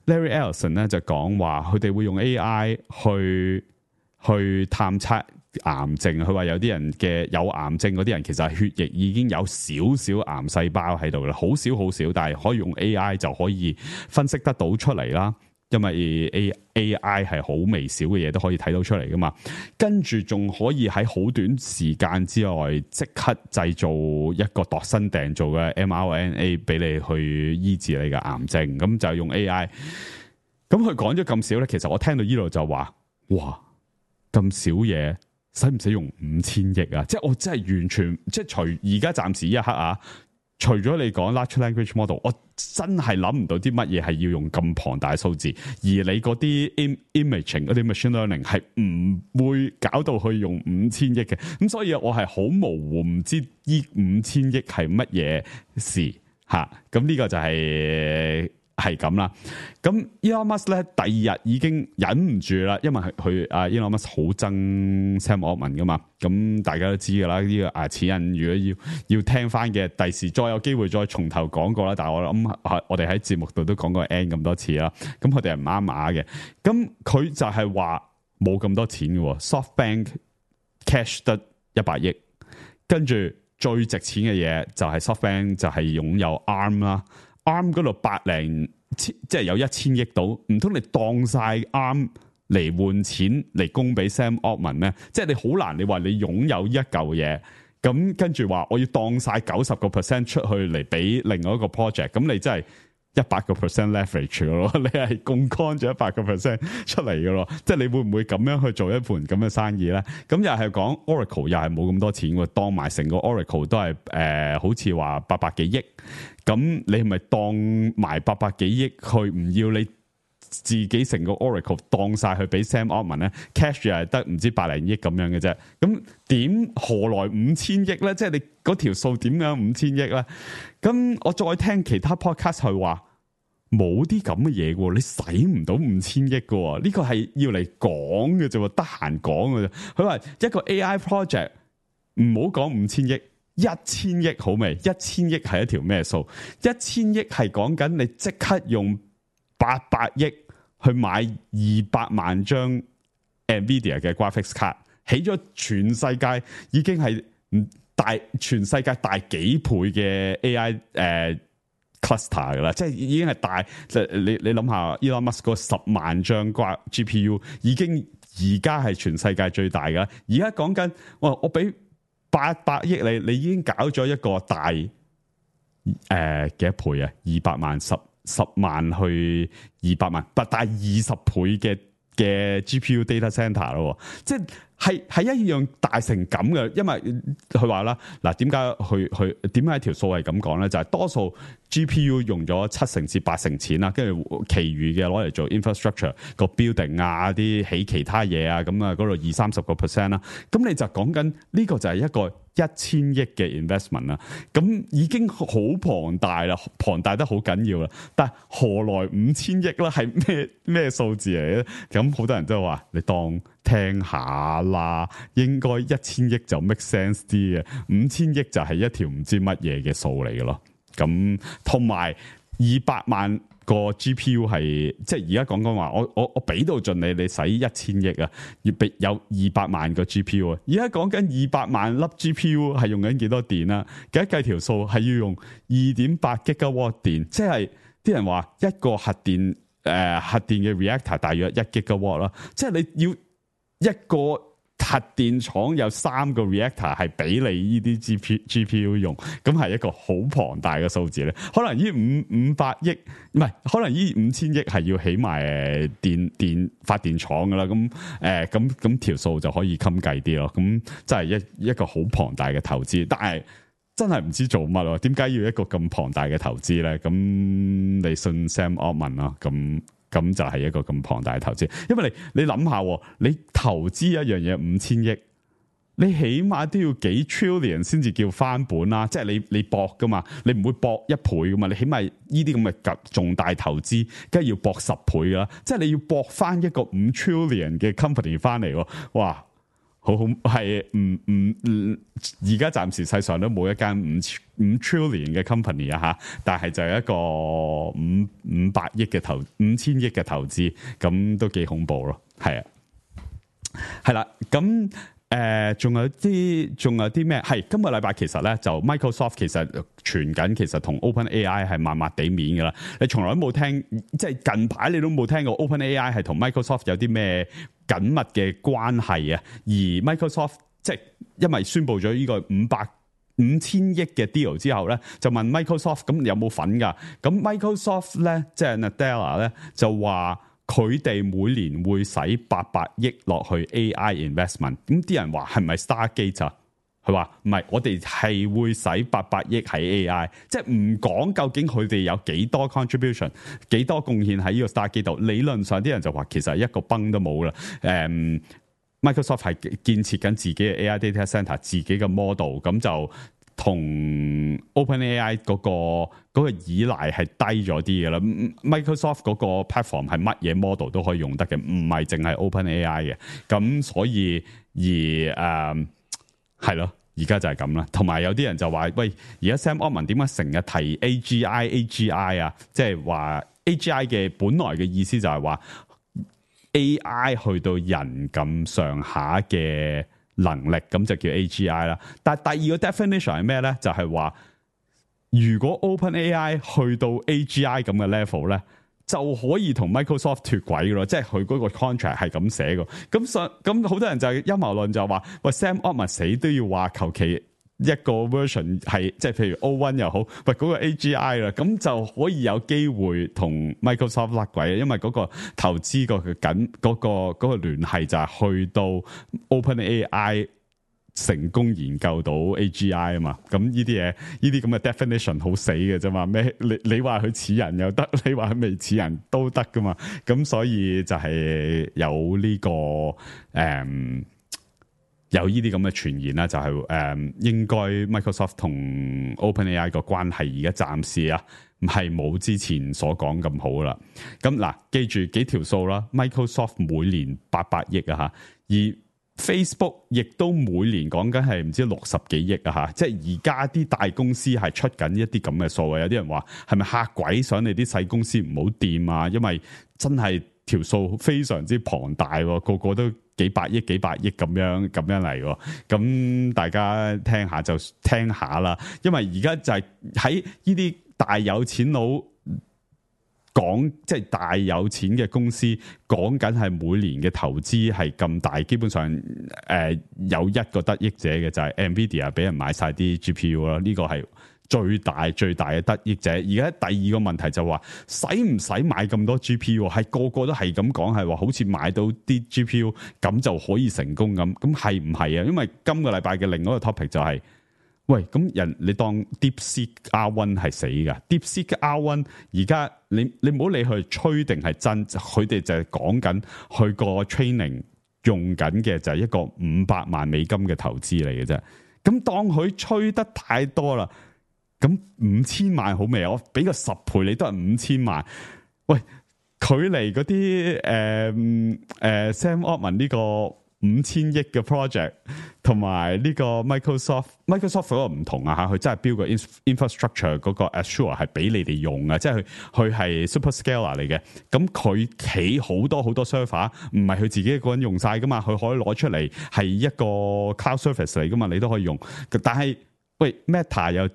Larry Ellison 咧就講話，佢哋會用 AI 去探測癌症。佢話有啲人嘅有癌症嗰啲人，其實係血液已經有少少癌細胞喺度啦，好少，但係可以用 AI 就可以分析得到出嚟啦。因為 AI 係好微小嘅嘢都可以睇到出嚟噶嘛，跟住仲可以喺好短時間之內即刻製造一個度身訂造嘅 mRNA 俾你去醫治你嘅癌症，咁就用 AI。咁佢講咗咁少咧，其實我聽到呢度就話，哇，咁少嘢，使唔使用5000億啊？即係我真係完全，即係除而家暫時一刻啊。除咗你講 large language model， 我真係諗唔到啲乜嘢係要用咁龐大嘅數字，而你嗰啲 imaging 嗰啲 machine learning 係唔會搞到去用5000億嘅，咁所以我係好模糊，唔知呢5000億係乜嘢事吓，咁呢個就係咁啦。咁 Elon Musk 咧第二日已經忍唔住啦，因為佢Elon Musk 好憎 Sam Altman 噶嘛，咁大家都知噶啦。呢個此人如果要聽翻嘅，第時再有機會再從頭講過啦。但係我諗我哋喺節目度都講過 N 咁多次啦。咁佢哋係唔啱碼嘅。咁佢就係話冇咁多錢嘅 ，SoftBank cash 得100億，跟住最值錢嘅嘢就係 SoftBank 就係擁有 ARM 啦。ARM 嗰度即係有1000億到，唔通你當晒 ARM 嚟換錢嚟供俾 Sam Altman 咩？即係你好難，你話你擁有一嚿嘢，咁跟住話我要當晒90% 出去嚟俾另外一個 project， 咁你真係100% leverage 咯，你係槓桿咗100% 出嚟嘅咯，即係你會唔會咁樣去做一盤咁嘅生意咧？咁又係講 Oracle 又係冇咁多錢喎，當埋成個 Oracle 都係好似話800幾億，咁你係咪當埋800幾億去唔要你自己成個 Oracle 當晒去俾 Sam Altman 咧 ？cash 又係得唔知百零億咁樣嘅啫，咁何來5000億咧？即係你嗰條數點樣5000億咧？咁我再聽其他 podcast 去話冇啲咁嘅嘢嘅，你使唔到5000億嘅，呢個係要嚟講嘅啫，得閒講嘅啫。佢話一個 AI project 唔好講5000億，1000億好未？1000億係一條咩數？1000億係講緊你即刻用800億去買200萬張 Nvidia 嘅 graphics card， 起咗全世界已經係全世界大幾倍嘅 AI cluster 噶啦，即係已經係大。你諗下 Elon Musk 嗰10萬張 GPU 已經而家係全世界最大噶。而家講緊我俾800億你已經搞咗一個大幾多倍啊？200萬10萬去200萬，大20倍嘅 GPU data center 咯，即係一樣大成咁嘅。因為佢話啦，嗱，點解點解條數係咁講咧？就係多數 GPU 用咗70%至80%錢啦，跟住其餘嘅攞嚟做 infrastructure 個 building 啊，啲起其他嘢啊，咁啊嗰度20-30% 啦。咁你就講緊呢個就係一個1000億嘅 investment 啦，咁已經好龐大啦，龐大得好緊要啦。但係何來5000億咧？係咩數字嚟咧？咁好多人都話你當聽下啦，應該1000億就 make sense 啲嘅，5000億就係一條唔知乜嘢嘅數嚟嘅咯。咁同埋200萬個 GPU 係即係而家講話，我俾到盡你使1000億啊，要俾有200萬個 GPU 啊，而家講緊200萬粒 GPU 係用緊幾多電啊？計條數係要用2.8 gigawatt 電，即係啲人話一個核電嘅 reactor 大約1 gigawatt 啦，即係你要一個核電廠有3個 reactor 係俾你呢啲 GPU 用，咁係一個好龐大嘅數字咧。可能呢500億唔係，可能呢5000億係要起埋電發電廠噶啦。咁條數就可以襟計啲咯。咁真係一個好龐大嘅投資，但係真係唔知做乜咯？點解要一個咁龐大嘅投資咧？咁你信 Sam Altman 咯？咁就係一個咁龐大嘅投資，因為你諗下，你投資一樣嘢5000億，你起碼都要幾 trillion 先至叫翻本啦。即係你搏噶嘛，你唔會搏1倍噶嘛，你起碼呢啲咁嘅重大投資，梗係要搏10倍噶啦。即係你要搏翻一個5 trillion 嘅 company 翻嚟，哇！好係而家暫時世上都冇一間5 trillion 嘅 company 啊吓，但係就係一個500億嘅5000億嘅投資，咁都幾恐怖咯，係啊，係啦，咁仲有啲咩？係今個禮拜其實咧就 Microsoft 其實傳緊，其實同 OpenAI 係麻麻地面噶啦，你從來都冇聽，即係近排你都冇聽過 OpenAI 係同 Microsoft 有啲咩緊密嘅關係啊，而 Microsoft 即係因為宣布咗呢個5000億嘅 deal 之後咧，就問 Microsoft 咁有冇份㗎？咁 Microsoft 咧即係 Nadella 咧就話佢哋每年會使800億落去 AI investment。咁啲人話係咪 Stargate 啊？佢話唔係，我哋係會使800億喺 AI， 即係唔講究竟佢哋有幾多 contribution、幾多貢獻喺呢個 Stargate 度。理論上啲人就話其實一個崩都冇啦。Microsoft 係建設緊自己嘅 AI data center， 自己嘅 model， 咁就同 OpenAI 嗰個依賴係低咗啲嘅啦。Microsoft 嗰個 platform 係乜嘢 model 都可以用得嘅，唔係淨係 OpenAI 嘅。咁所以係咯，而家就係咁啦。同埋有啲人就話：喂，而家 Sam Altman 點解成日提 AGI 啊？即係話 AGI 嘅本來嘅意思就係話 AI 去到人咁上下嘅能力，咁就叫 AGI 啦。但係第二個 definition 係咩咧？就係話如果 OpenAI 去到 AGI 咁嘅 level 咧，就可以同 Microsoft 脫軌咯，即係佢嗰個 contract 係咁寫嘅。咁好多人就係陰謀論就話：喂 Sam Altman 死都要話求其一個 version 係，即係譬如 O1 又好，喂嗰個 AGI 啦，咁就可以有機會同 Microsoft 甩軌，因為嗰個投資個緊嗰個聯繫就係去到 OpenAI 成功研究到 AGI 啊嘛，咁呢啲嘢，呢啲咁嘅 definition 好死嘅啫嘛，咩你話佢似人又得，你話佢未似人都得噶嘛，咁所以就係有呢個有呢啲咁嘅傳言啦，就係應該 Microsoft 同 OpenAI 個關係而家暫時啊，係冇之前所講咁好啦。咁嗱，記住幾條數啦 ，Microsoft 每年800億啊吓，而Facebook 亦都每年講緊係唔知60幾億啊吓，即係而家啲大公司係出緊一啲咁嘅數啊，有啲人話係咪嚇鬼想你啲細公司唔好掂啊？因為真係條數非常之龐大，個個都幾百億咁樣嚟，咁大家聽下就聽下啦。因為而家就係喺呢啲大有錢佬講，即係大有錢嘅公司講緊係每年嘅投資係咁大，基本上有一個得益者嘅就係 Nvidia 俾人買晒啲 GPU 啦，呢個係最大嘅得益者。而家第二個問題就話使唔使買咁多 GPU？ 係個個都係咁講，係話好似買到啲 GPU 咁就可以成功咁係唔係啊？因為今個禮拜嘅另外一個 topic 就係、是。喂，咁你當 DeepSeek R1 係死噶 ？DeepSeek R1 而家你唔好理佢吹定係真，佢哋就係講緊佢個 training 用緊嘅就係一個500萬美金嘅投資嚟嘅啫。咁當佢吹得太多啦，咁5000萬好未啊？我俾個10倍你都係5000萬。喂，距離嗰啲Sam Altman 呢個5000億嘅 project， 同埋呢個 Microsoft 嗰個唔同啊嚇，佢真係標個 infrastructure 嗰個 Azure 係俾你哋用啊，即係佢係 superscaler 嚟嘅。咁佢企好多 server， 唔係佢自己一個人用晒噶嘛，佢可以攞出嚟係一個 cloud service 嚟噶嘛，你都可以用。但係喂 Meta 又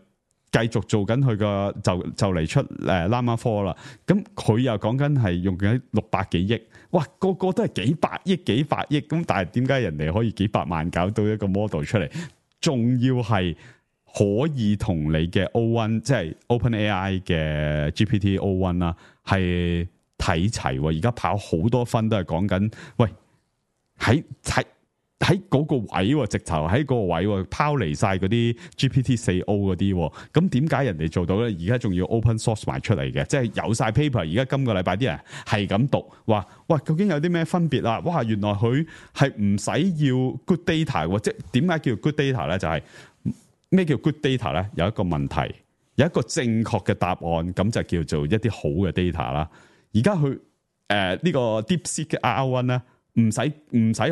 繼續做緊佢個就嚟出Llama 4啦，咁佢又講緊係用緊600幾億，哇個個都係幾百億，咁但係點解人哋可以幾百萬搞到一個 model 出嚟，仲要係可以同你嘅 O1 即係 OpenAI 嘅 GPT O1 啦，係睇齊，而家跑好多分都係講緊，喂喺嗰個位，直頭喺嗰個位拋離晒嗰啲 GPT-4o 嗰啲，咁點解人哋做到咧？而家仲要 open source 埋出嚟嘅，即係有晒 paper。而家今個禮拜啲人係咁讀，話哇究竟有啲咩分別啊？哇，原來佢係唔使要 good data， 即係點解叫 good data 咧？就係咩叫 good data 咧？有一個問題，有一個正確嘅答案，咁就叫做一啲好嘅 data 啦。而家佢呢個 DeepSeek 嘅 R1 咧。唔使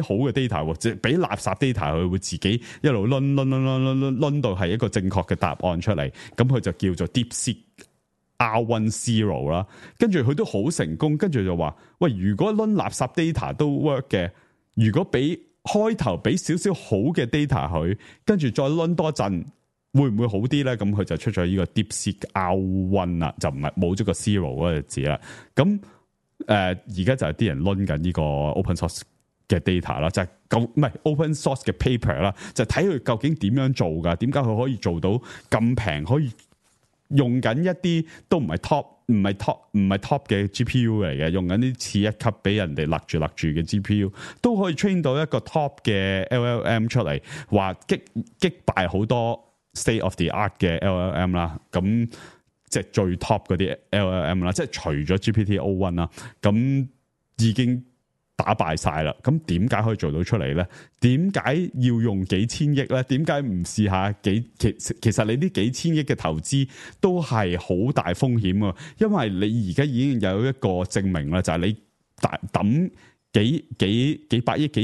好嘅 data， 即係俾垃圾 data， 佢會自己一路掄到係一個正確嘅答案出嚟，咁佢就叫做 DeepSeek R1 Zero 啦。跟住佢都好成功，跟住就話：喂，如果掄垃圾 data 都 work 嘅，如果俾開頭俾少少好嘅 data 佢，跟住再掄多陣，會唔會好啲咧？咁佢就出咗呢個 DeepSeek R1 啦，就唔係冇咗個 Zero 嗰個字啦。咁而家就係啲人掄緊呢個 open source 嘅 data 啦，就係唔係 open source 嘅 paper 啦，就睇佢究竟點樣做噶？點解佢可以做到咁平？可以用緊一啲都唔係 top 嘅 GPU 嚟嘅，用緊啲次一級俾人哋勒住嘅 GPU， 都可以 train 到一個 top 嘅 LLM 出嚟，話擊敗好多 state of the art 嘅 LLM 啦，咁。即係最 top 嗰啲 LLM 啦，即係除咗 GPT O1 啦，咁已經打敗晒啦。咁點解可以做到出嚟咧？點解要用幾千億咧？點解唔試下其實你啲幾千億嘅投資都係好大風險啊！因為你而家已經有一個證明啦，就係你抌幾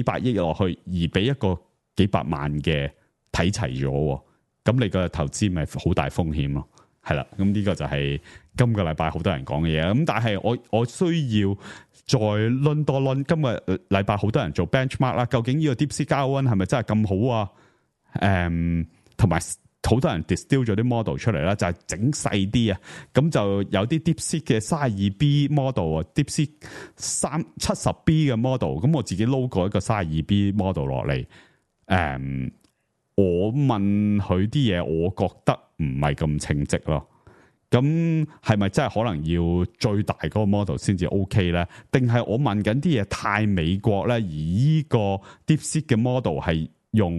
百億落去，而俾一個幾百萬嘅睇齊咗，咁你個投資咪好大風險咯？係啦，咁呢個就係今個禮拜好多人講嘅嘢。咁但係我需要再輪多輪。今個禮拜好多人做 benchmark 啦，究竟呢個 DeepSeek R1 係咪真係咁好啊？同埋好多人 distill 咗啲 model 出嚟啦，就係整細啲啊。咁就有啲 DeepSeek 嘅 32B model 啊，DeepSeek 70B 嘅 model。咁我自己撈過一個 32B model 落嚟。我問佢啲嘢，我覺得唔係咁稱職咯。咁係咪真係可能要最大嗰個 model 先至 OK 咧？定係我問緊啲嘢太美國咧？而呢個 DeepSeek 嘅 model 係用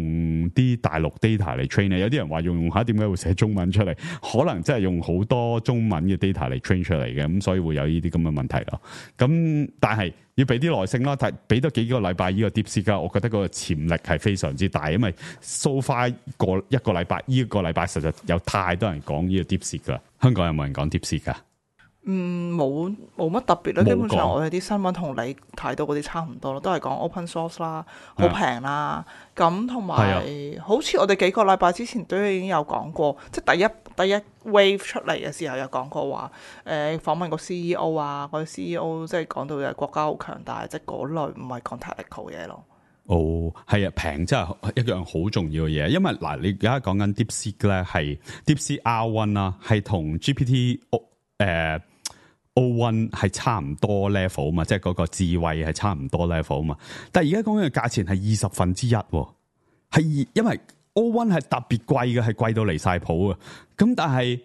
啲大陸 data 嚟 train 咧？有啲人話用下，點解會寫中文出嚟？可能真係用好多中文嘅 data 嚟 train 出嚟嘅，咁所以會有呢啲咁嘅問題咯。咁但係要俾啲耐性咯，俾多幾個禮拜呢個 DeepSeek，我覺得嗰個潛力係非常之大，因為 so far 一個禮拜，呢個禮拜實在有太多人講呢個 DeepSeek 噶。香港有冇人講 DeepSeek 噶？冇乜特別啦。基本上我哋啲新聞同你睇到嗰啲差唔多咯，都係講 open source 啦，好平啦。咁同埋好似我哋幾個禮拜之前都已經有講過，即係第一 wave 出嚟嘅時候有講過話，訪問個 CEO 啊，嗰啲 CEO 即係講到國家好強大，即係嗰類唔係講 technical 嘢咯。哦，係啊，平真係一樣好重要嘅嘢，因為嗱，你而家講緊 DeepSeek 咧，係 DeepSeek R1 啦，係同 GPT O1 係差唔多 level 嘛，即係嗰個智慧係差唔多 level 嘛。但係而家講緊嘅價錢係1/20，係因為 O1 係特別貴嘅，係貴到離晒譜啊。咁但係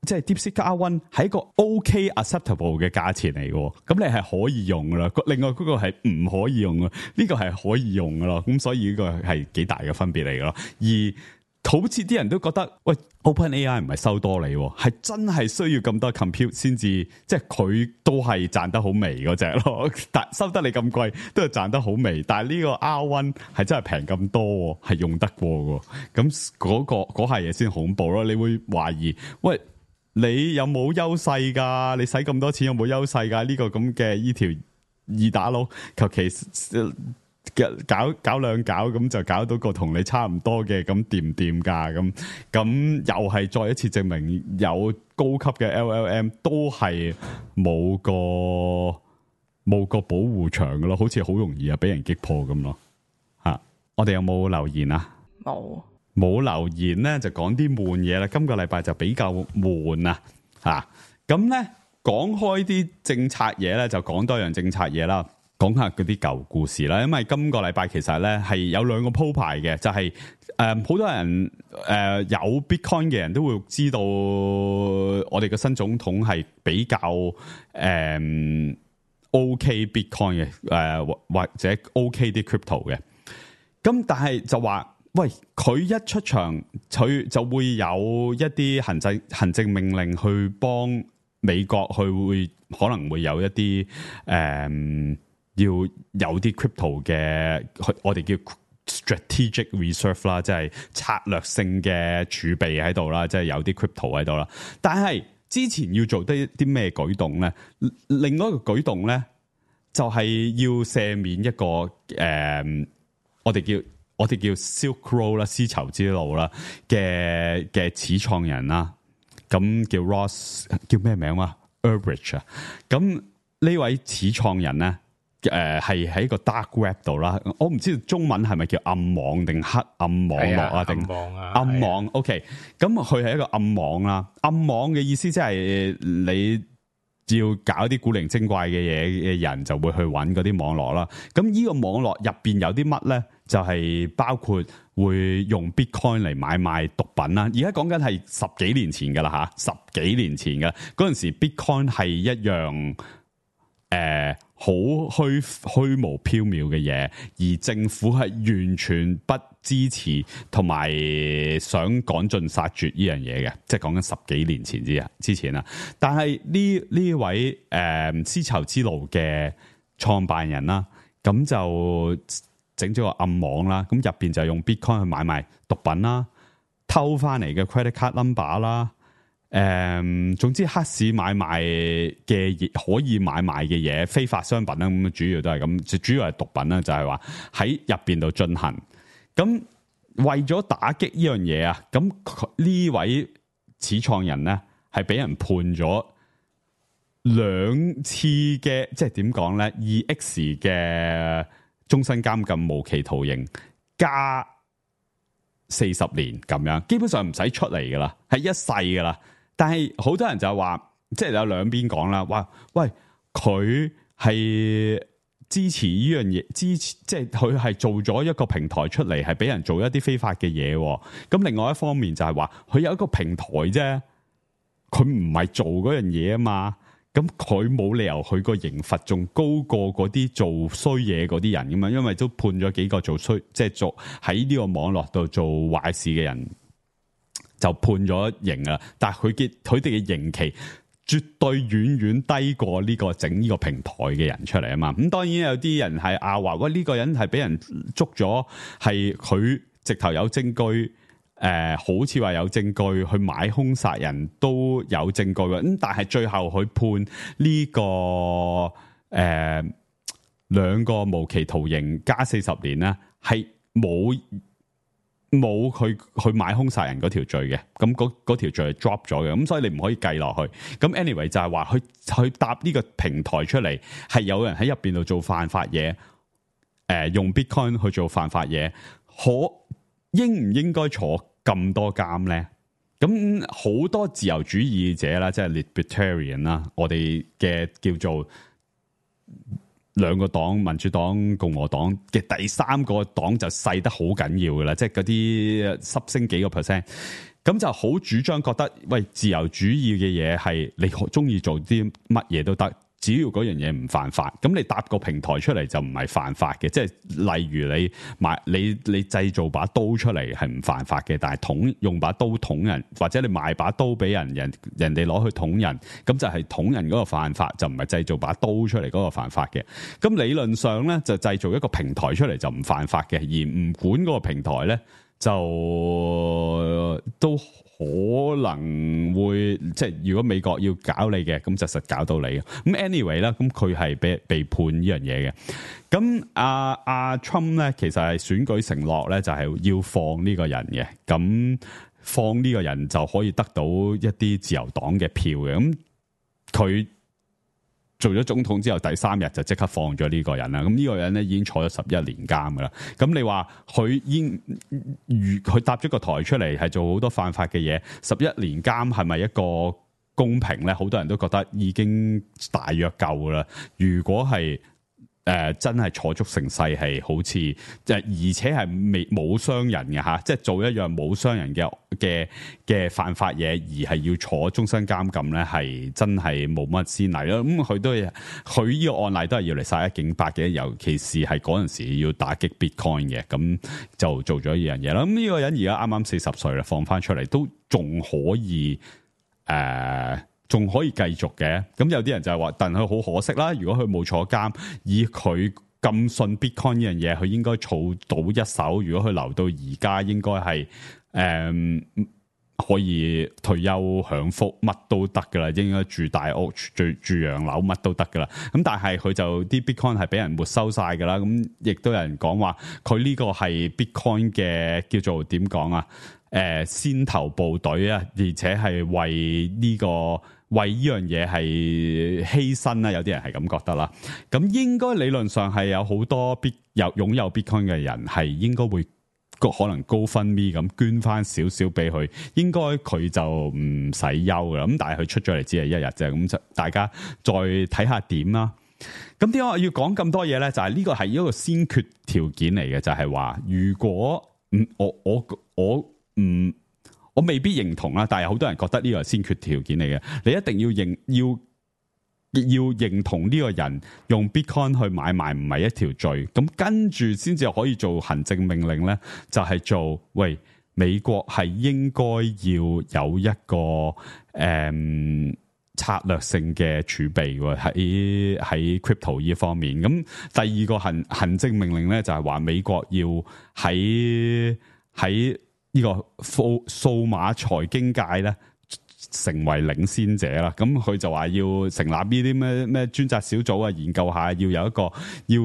即係 DeepSeek R1 係一個 OK acceptable 嘅價錢嚟嘅，咁你係可以用噶啦。另外嗰個係唔可以用啊，呢個係可以用噶咯。咁所以呢個係幾大嘅分別嚟嘅咯。而好似啲人都覺得，喂 OpenAI 唔係收多你，係真係需要咁多 compute 先至，即係佢都係賺得好微嗰隻咯。但收得你咁貴，都係賺得好微。但係呢個 R1 係真係平咁多，係用得過嘅。咁嗰下嘢先恐怖咯。你會懷疑，喂，你有冇優勢㗎？你使咁多錢有冇優勢㗎？呢個咁嘅呢條二打佬，求其搞兩搞咁就搞到個同你差唔多嘅，咁掂唔掂㗎？咁又係再一次證明有高級嘅 LLM 都係冇個保護牆㗎咯，好似好容易俾人擊破咁咯。我哋有冇留言啊？冇留言咧，就講啲悶嘢啦。今個禮拜就比較悶啊！咁咧講開啲政策嘢咧，就講多樣政策嘢啦。講下嗰啲舊故事啦，因為今個禮拜其實咧係有兩個鋪排嘅，就係好多人有 Bitcoin 嘅人都會知道，我哋嘅新總統係比較OK Bitcoin 嘅或者 OK 啲 crypto 嘅。咁但係就話，喂，佢一出場，佢就會有一啲行政命令去幫美國，佢可能會有一啲要有啲 crypto 嘅，我哋叫 strategic reserve 啦，即係策略性嘅儲備喺度啦，即係有啲 crypto 喺度啦。但係之前要做啲咩舉動咧？另外一個舉動咧，就係要赦免一個我哋叫 Silk Road 啦，絲綢之路啦嘅始創人啦，咁叫 Ross， 叫咩名啊 Ulbricht 啊。咁呢位始創人咧，係喺個 dark web 度啦，我唔知道中文係咪叫暗網定黑暗網絡啊？定暗網 OK， 咁佢係一個暗網啦。暗網嘅意思即係你要搞啲古靈精怪嘅嘢嘅人就會去揾嗰啲網絡啦。咁呢個網絡入邊有啲乜咧？就係包括會用 Bitcoin 嚟買賣毒品啦。而家講緊係10幾年前噶啦吓，10幾年前噶嗰陣時 Bitcoin 係一樣好虛無縹緲嘅嘢，而政府係完全不支持同埋想趕盡殺絕呢樣嘢嘅，即係講緊10幾年前之前啦。但係呢位絲綢之路嘅創辦人啦，咁就整咗個暗網啦，咁入邊就用 Bitcoin 去買賣毒品啦，偷翻嚟嘅 credit card number 啦，總之黑市買賣嘅可以買賣嘅嘢，非法商品啦，咁主要都係咁，主要係毒品啦，就係話喺入邊度進行。咁為咗打擊呢樣嘢啊，咁呢位始創人咧係俾人判咗2次嘅，即係點講咧？2X 嘅終身監禁無期徒刑加40年咁樣，基本上唔使出嚟噶啦，係一世噶啦。但係好多人就話，即係有兩邊講啦，話喂，佢係支持呢樣嘢，即係佢係做咗一個平台出嚟，係俾人做一啲非法嘅嘢。咁另外一方面就係話，佢有一個平台啫，佢唔係做嗰樣嘢啊嘛。咁佢冇理由佢個刑罰仲高過嗰啲做衰嘢嗰啲人噶嘛，因為都判咗幾個做衰，即係做喺呢個網絡度做壞事嘅人就判咗刑啦。但係佢哋嘅刑期絕對遠遠低過呢個整呢個平台嘅人出嚟啊嘛。咁當然有啲人係話喂，呢個人係俾人捉咗，係佢直頭有證據。好似話有證據去買兇殺人都有證據嘅，咁但係最後佢判呢個2個無期徒刑加40年咧，係冇佢去買兇殺人嗰條罪嘅，咁嗰條罪係 drop 咗嘅，咁所以你唔可以計落去。咁 anyway 就係話佢搭呢個平台出嚟，係有人喺入邊度做犯法嘢，用 Bitcoin 去做犯法嘢，應唔應該坐咁多監咧？咁好多自由主義者啦，即係 libertarian 啦，我哋嘅叫做兩個黨，民主黨、共和黨嘅第三個黨就細得好緊要噶啦，即係嗰啲濕升幾個 percent，咁就好主張覺得，喂，自由主義嘅嘢係你中意做啲乜嘢都得。只要嗰樣嘢唔犯法，咁你搭個平台出嚟就唔係犯法嘅。即係例如你製造把刀出嚟係唔犯法嘅，但係用把刀捅人，或者你賣把刀俾人哋攞去捅人，咁就係捅人嗰個犯法，就唔係製造把刀出嚟嗰個犯法嘅。咁理論上咧就製造一個平台出嚟就唔犯法嘅，而唔管嗰個平台咧就都可能會即係如果美國要搞你嘅，咁就實搞到你嘅。咁 anyway 啦，咁佢係被判呢樣嘢嘅。咁阿 Trump 咧，其實係選舉承諾咧，就係要放呢個人嘅。咁放呢個人就可以得到一啲自由黨嘅票嘅。咁佢做咗總統之後，第3日就即刻放咗呢個人啦。咁呢個人咧已經坐咗11年監噶啦。咁你話佢搭咗個台出嚟，係做好多犯法嘅嘢，11年監係咪一個公平咧？好多人都覺得已經大約夠啦。如果係真係坐足成世，係好似而且係冇傷人嘅吓，即係做一樣冇傷人嘅犯法嘢，而係要坐終身監禁咧，係真係冇乜先例咯。咁佢呢個案例都係要嚟殺一儆百嘅，尤其是係嗰陣時要打擊 Bitcoin 嘅，咁就做咗呢樣嘢啦。咁呢個人而家啱啱40歲啦，放翻出嚟都仲可以仲可以繼續嘅。咁有啲人就係話，但佢好可惜啦。如果佢冇坐監，以佢咁信 Bitcoin 呢樣嘢，佢應該儲到一手。如果佢留到而家，應該係可以退休享福，乜都得噶啦。應該住大屋、住洋樓，乜都得噶啦。咁但係佢就啲 Bitcoin 係俾人沒收晒噶啦。咁亦都有人講話，佢呢個係 Bitcoin 嘅叫做點講啊？先頭部隊啊，而且係為呢樣嘢係犧牲啦，有啲人係咁覺得啦。咁應該理論上係有好多擁有 Bitcoin 嘅人係應該會可能GoFundMe咁捐翻少少俾佢，應該佢就唔使憂噶啦。咁但係佢出咗嚟只係1日啫，咁就大家再睇下點啦。咁點解我要講咁多嘢咧？就係呢個係一個先決條件嚟嘅，就係話如果我未必認同啦，但係好多人覺得呢個係先決條件嚟嘅。你一定要認同呢個人用 Bitcoin 去買賣唔係一條罪，咁跟住先至可以做行政命令咧，就係做喂，美國係應該要有一個策略性嘅儲備喎，喺 crypto 呢方面。咁第二個行政命令咧，就係話美國要喺呢個數碼財經界咧成為領先者啦。咁佢就話要成立呢啲咩專責小組啊，研究下要有一個要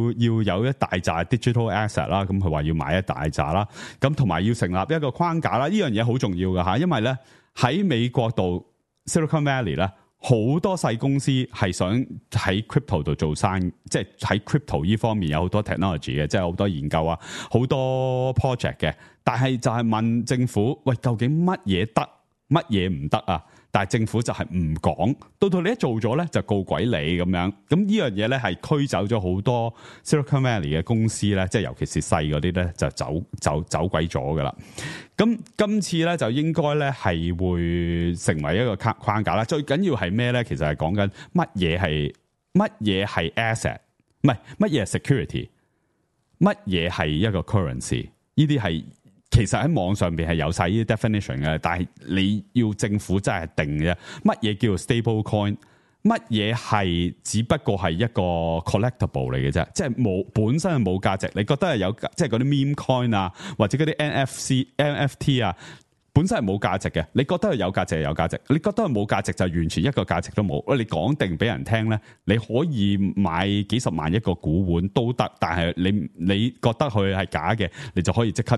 有一大扎 digital asset 啦。咁佢話要買一大扎啦。咁同埋要成立一個框架啦。呢樣嘢好重要㗎吓，因為咧喺美國度 Silicon Valley 咧，好多細公司係想喺 crypto 度做生意，即係喺 crypto 呢方面有好多 technology 嘅，即係好多研究啊，好多 project 嘅。但係就係問政府，喂，究竟乜嘢得，乜嘢唔得啊？但係政府就係唔講，到你一做咗咧就告鬼你咁樣。咁呢樣嘢咧係驅走咗好多 Silicon Valley 嘅公司咧，即係尤其是細嗰啲咧就走鬼咗噶啦。咁今次咧就應該咧係會成為一個框架啦。最緊要係咩咧？其實係講緊乜嘢係 asset， 唔係乜嘢係 security， 乜嘢係一個 currency。呢啲係其實喺網上邊係有晒呢啲 definition 嘅，但係你要政府真係定嘅。乜嘢叫做 stable coin？ 乜嘢係只不過係一個 collectible 嚟嘅啫，即係本身係冇價值。你覺得係有，即係嗰啲 meme coin 啊，或者嗰啲 NFT 啊，本身係冇價值嘅。你覺得係有價值係有價值，你覺得係冇價值就完全一個價值都冇。你講定俾人聽咧，你可以買幾十萬一個股本都得，但係你覺得佢係假嘅，你就可以即刻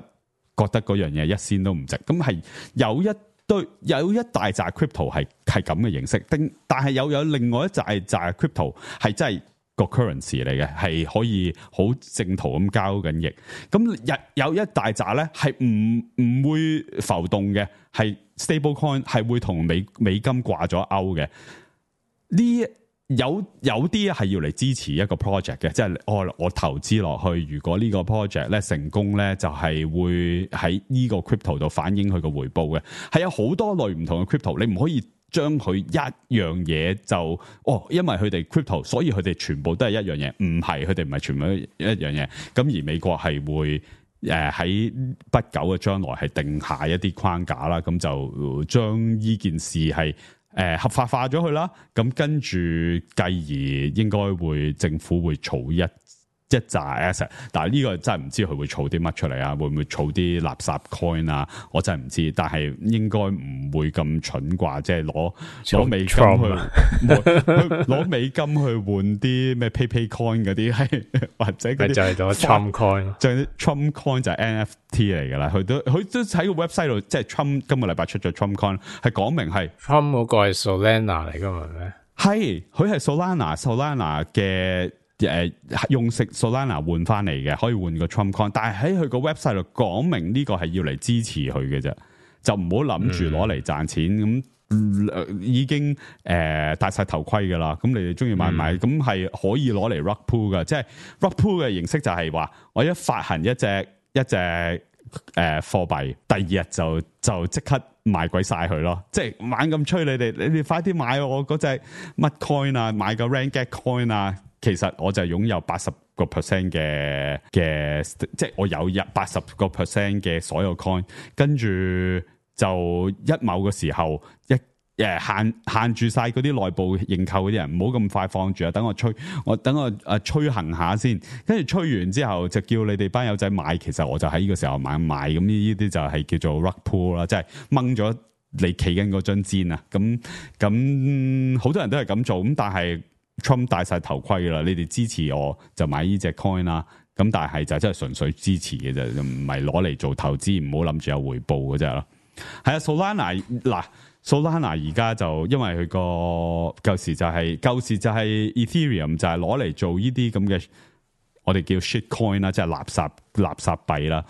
覺得嗰樣嘢一仙都唔值。咁係有一大紮 crypto 係咁嘅形式，但係有另外一紮 crypto 係真係個 currency 嚟嘅，係可以好正途咁交緊易。咁有一大紮咧係唔會浮動嘅，係 stable coin 係會同美金掛咗鈎嘅。呢有啲係要嚟支持一個 project 嘅，即係我投資落去，如果呢個 project 咧成功咧，就係會喺呢個 crypto 度反映佢個回報嘅。係有好多類唔同嘅 crypto， 你唔可以將佢一樣嘢就因為佢哋 crypto， 所以佢哋全部都係一樣嘢，唔係，佢哋唔係全部一樣嘢。咁而美國係會喺不久嘅將來係定下一啲框架啦，咁就將呢件事係合法化咗佢啦，咁跟住繼而應該會政府會儲一一紮 asset， 但係呢個真係唔知佢會儲啲乜出嚟啊？會唔會儲啲垃圾 coin 啊？我真係唔知，但係應該唔會咁蠢啩，即係攞美金去攞美金去換啲咩 PayPay coin 嗰啲，係或者嗰啲就係攞 Trump coin， 就係 Trump coin 就係 NFT 嚟㗎啦。佢都喺個 website 度，即係 Trump 今個禮拜出咗 Trump coin， 係講明係 Trump 嗰個係 Solana 嚟㗎嘛咩？係佢係 Solana 嘅。用食 Solana 換翻嚟嘅，可以換個 Trump coin， 但係喺佢個 website 度講明呢個係要嚟支持佢嘅啫，就唔好諗住攞嚟賺錢咁，已經戴晒頭盔噶啦。咁你哋中意買買，咁係可以攞嚟 rug pull 噶，即係 rug pull 嘅形式就係話我一發行一隻貨幣，第二日就即刻賣鬼晒佢咯，即係猛咁催你哋快啲買我嗰隻乜 coin 啊，買個 Renegade coin 啊。其實我就擁有 80% 嘅，即係我有80% 嘅所有 coin， 跟住就某個時候限住晒嗰啲內部認購嗰啲人，唔好咁快放住啊！等我催行下先，跟住催完之後就叫你哋班友仔買。其實我就喺呢個時候買，咁呢啲就係叫做 rug pull 啦，即係掹咗你企緊嗰張氈啊！咁好多人都係咁做，咁但係。Trump 戴晒頭盔啦，你哋支持我就買呢隻 coin 啦，咁但係就真係純粹支持嘅啫，唔係攞嚟做投資，唔好諗住有回報嘅啫咯。係啊 ，Solana 而家就因為佢個舊時就係 Ethereum 就係攞嚟做呢啲咁嘅我哋叫 shit coin 啦，即係垃圾幣啦，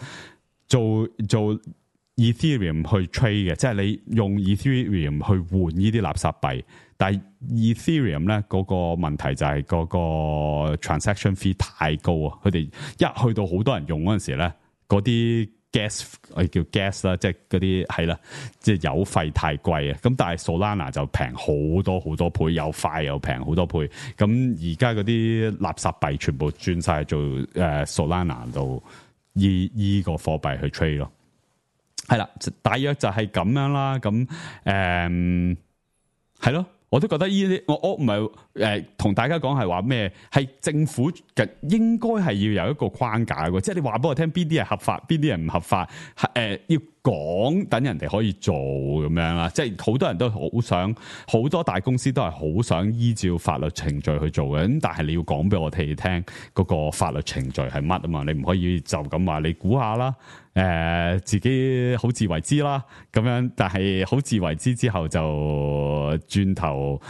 做 Ethereum 去 trade 嘅，即係你用 Ethereum 去換呢啲垃圾幣。但係 Ethereum 咧嗰個問題就係嗰個 transaction fee 太高啊！佢哋一去到好多人用嗰陣時咧，嗰啲 gas 我哋叫 gas 啦，即係嗰啲係啦，即係油費太貴啊！咁但係 Solana 就平好多好多倍，又快又平好多倍。咁而家嗰啲垃圾幣全部轉晒做Solana 度依個貨幣去 trade 咯。係啦，大約就係咁樣啦。咁係咯。我都覺得呢啲，我唔係同大家講係話咩，係政府嘅應該係要有一個框架嘅，即係你話俾我聽邊啲係合法，邊啲係唔合法，要講等人哋可以做咁樣啦。即係好多人都好想，好多大公司都係好想依照法律程序去做嘅。咁但係你要講俾我哋聽嗰個法律程序係乜啊嘛？你唔可以就咁話你估下啦。自己好自為之啦，咁樣，但係好自為之之後就轉頭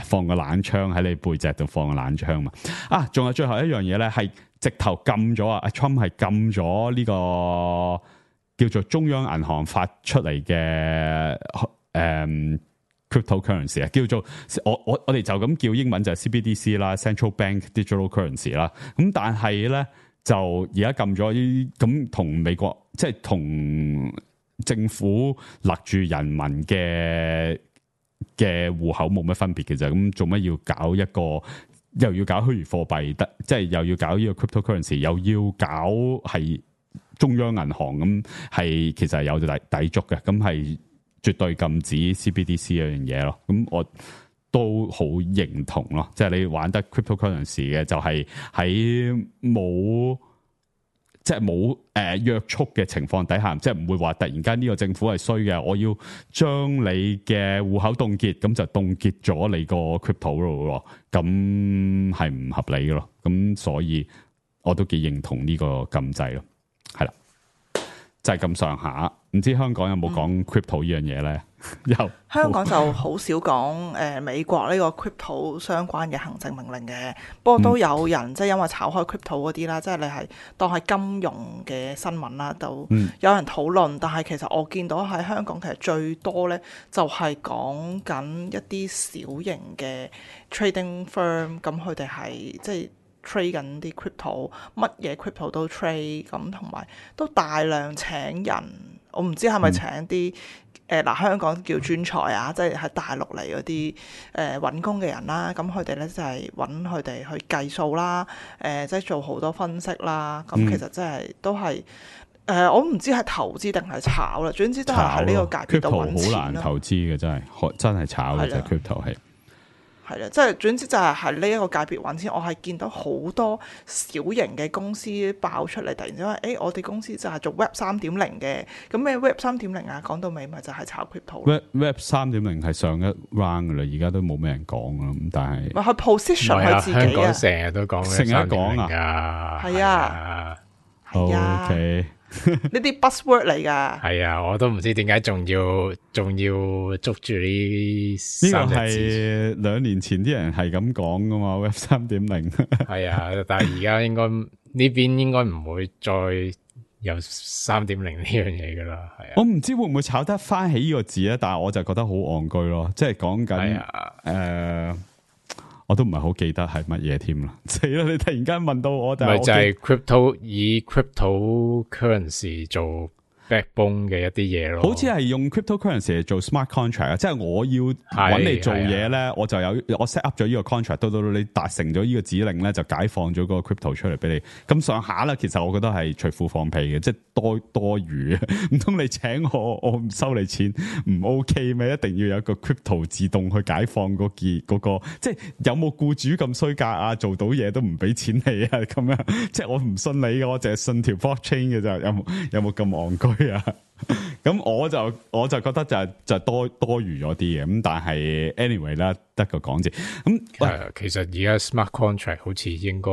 放個冷槍喺你背脊度放個冷槍嘛。啊，仲有最後一樣嘢咧，係直頭禁咗啊！Trump 係禁咗呢個叫做中央銀行發出嚟嘅cryptocurrency 啊，叫做我哋就咁叫英文就係 CBDC 啦 ，Central Bank Digital Currency 啦。咁但係咧。就而家禁咗咁同美國即係同政府勒住人民嘅戶口冇乜分別嘅啫，咁做乜要搞一個又要搞虛擬貨幣，即係又要搞呢個 cryptocurrency， 又要搞係中央銀行咁，係其實係有抵觸嘅，咁係絕對禁止 CBDC 嗰樣嘢咯。咁我都好認同咯，即係你玩得 cryptocurrency 嘅，就係喺冇約束嘅情況底下，即係唔會話突然間呢個政府係衰嘅，我要將你嘅戶口凍結，咁就凍結咗你個 crypto 咯，咁係唔合理嘅咯。咁所以我都幾認同呢個禁制咯，係啦，就係咁上下。唔知香港有冇講 crypto 呢樣嘢咧？有香港就好少講美國呢個 crypto 相關嘅行政命令嘅，不過都有人即係因為炒開 crypto 嗰啲啦，即係你係當係金融嘅新聞啦，都有人討論。但係其實我見到喺香港其實最多咧就係講緊一啲小型嘅 trading firm，咁佢哋係即係trade 緊啲 crypto， 乜嘢 crypto 都 trade， 咁同埋都大量請人。我唔知係咪請啲香港叫專才啊，即係喺大陸嚟嗰啲揾工嘅人啦。咁佢哋咧就係揾佢哋去計數啦，即係做好多分析啦。咁其實真係都係我唔知係投資定係炒啦。總之都係喺呢個界別度揾錢咯。crypto 好難投資嘅，真係炒嘅啫。crypto 係係啦，即係總之就係呢一個界別揾錢，我係見到好多小型嘅公司爆出嚟，突然之間話我哋公司就係做 Web 3.0嘅，咁咩 Web 3.0啊？講到尾咪就係炒 crypto 咯。Web 3.0係上一 round 噶啦，而家都冇咩人講啦。咁但係咪去 position 佢自己香港啊，成日都講成日講啊，係啊，係啊， OK 呢啲 buzzword 嚟㗎。係啊，我都唔知點解仲要捉住呢呢三個隻字。係2年前啲人係咁講噶嘛，Web 3.0係啊，但係而家應該呢邊應該唔會再有3.0呢樣嘢噶啦。係啊，我唔知會唔會炒得翻起呢個字咧，但係我就覺得好戇居咯，即係講緊係啊我都唔係好記得係乜嘢添啦。死啦！你突然間問到我，但咪就係係 crypto 以 cryptocurrency 做 backbone 嘅一啲嘢咯。好似係用 cryptocurrency 嚟做 smart contract 啊，即係我要揾你做嘢咧，我就我 set up 咗呢個 contract，到你達成咗呢個指令咧，就解放咗個 crypto 出嚟俾你。咁上下啦，其實我覺得係隨褲放屁嘅，即係多餘啊！唔通你請我唔收你錢唔 OK 咩？一定要有一個 crypto 自動去解放嗰個，即係有冇僱主咁衰格啊？做到嘢都唔俾錢你啊？咁樣即係我唔信你嘅，我淨係信條 blockchain 嘅咋？有冇咁戇居啊？咁我就覺得就多餘咗啲嘅，咁但係 anyway 啦，得個講字咁。其實而家 smart contract 好似應該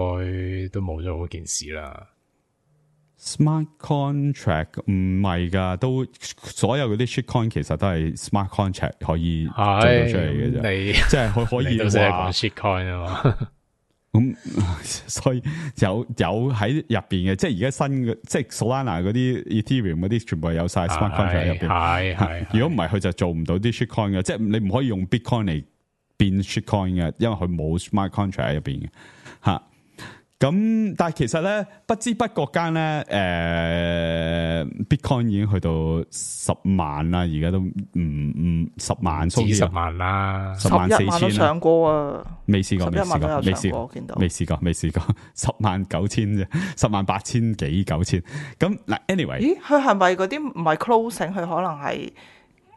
都冇咗嗰件事啦。smart contract 唔係噶，都所有嗰啲 shitcoin 其實都係 smart contract 可以做到出嚟嘅啫。你即係佢可以你都識話講 shitcoin 啊嘛。咁所以有喺入邊嘅，即係而家新嘅，即係 Solana 嗰啲 Ethereum 嗰啲，全部係有晒 smart contract 喺入邊。係如果唔係，佢就做唔到啲 shitcoin 嘅，即係你唔可以用 Bitcoin 嚟變 shitcoin 嘅，因為佢冇 smart contract 喺入邊嘅吓。咁但係其實咧，不知不覺間咧，Bitcoin 已經去到10萬啦，而家都唔10萬，幾10萬啦，11萬都104000上過啊，未試過11萬都有上過，見到未試過109000啫，108,000幾9000。咁嗱 ，anyway， 咦，佢係咪嗰啲唔係 closing？佢可能係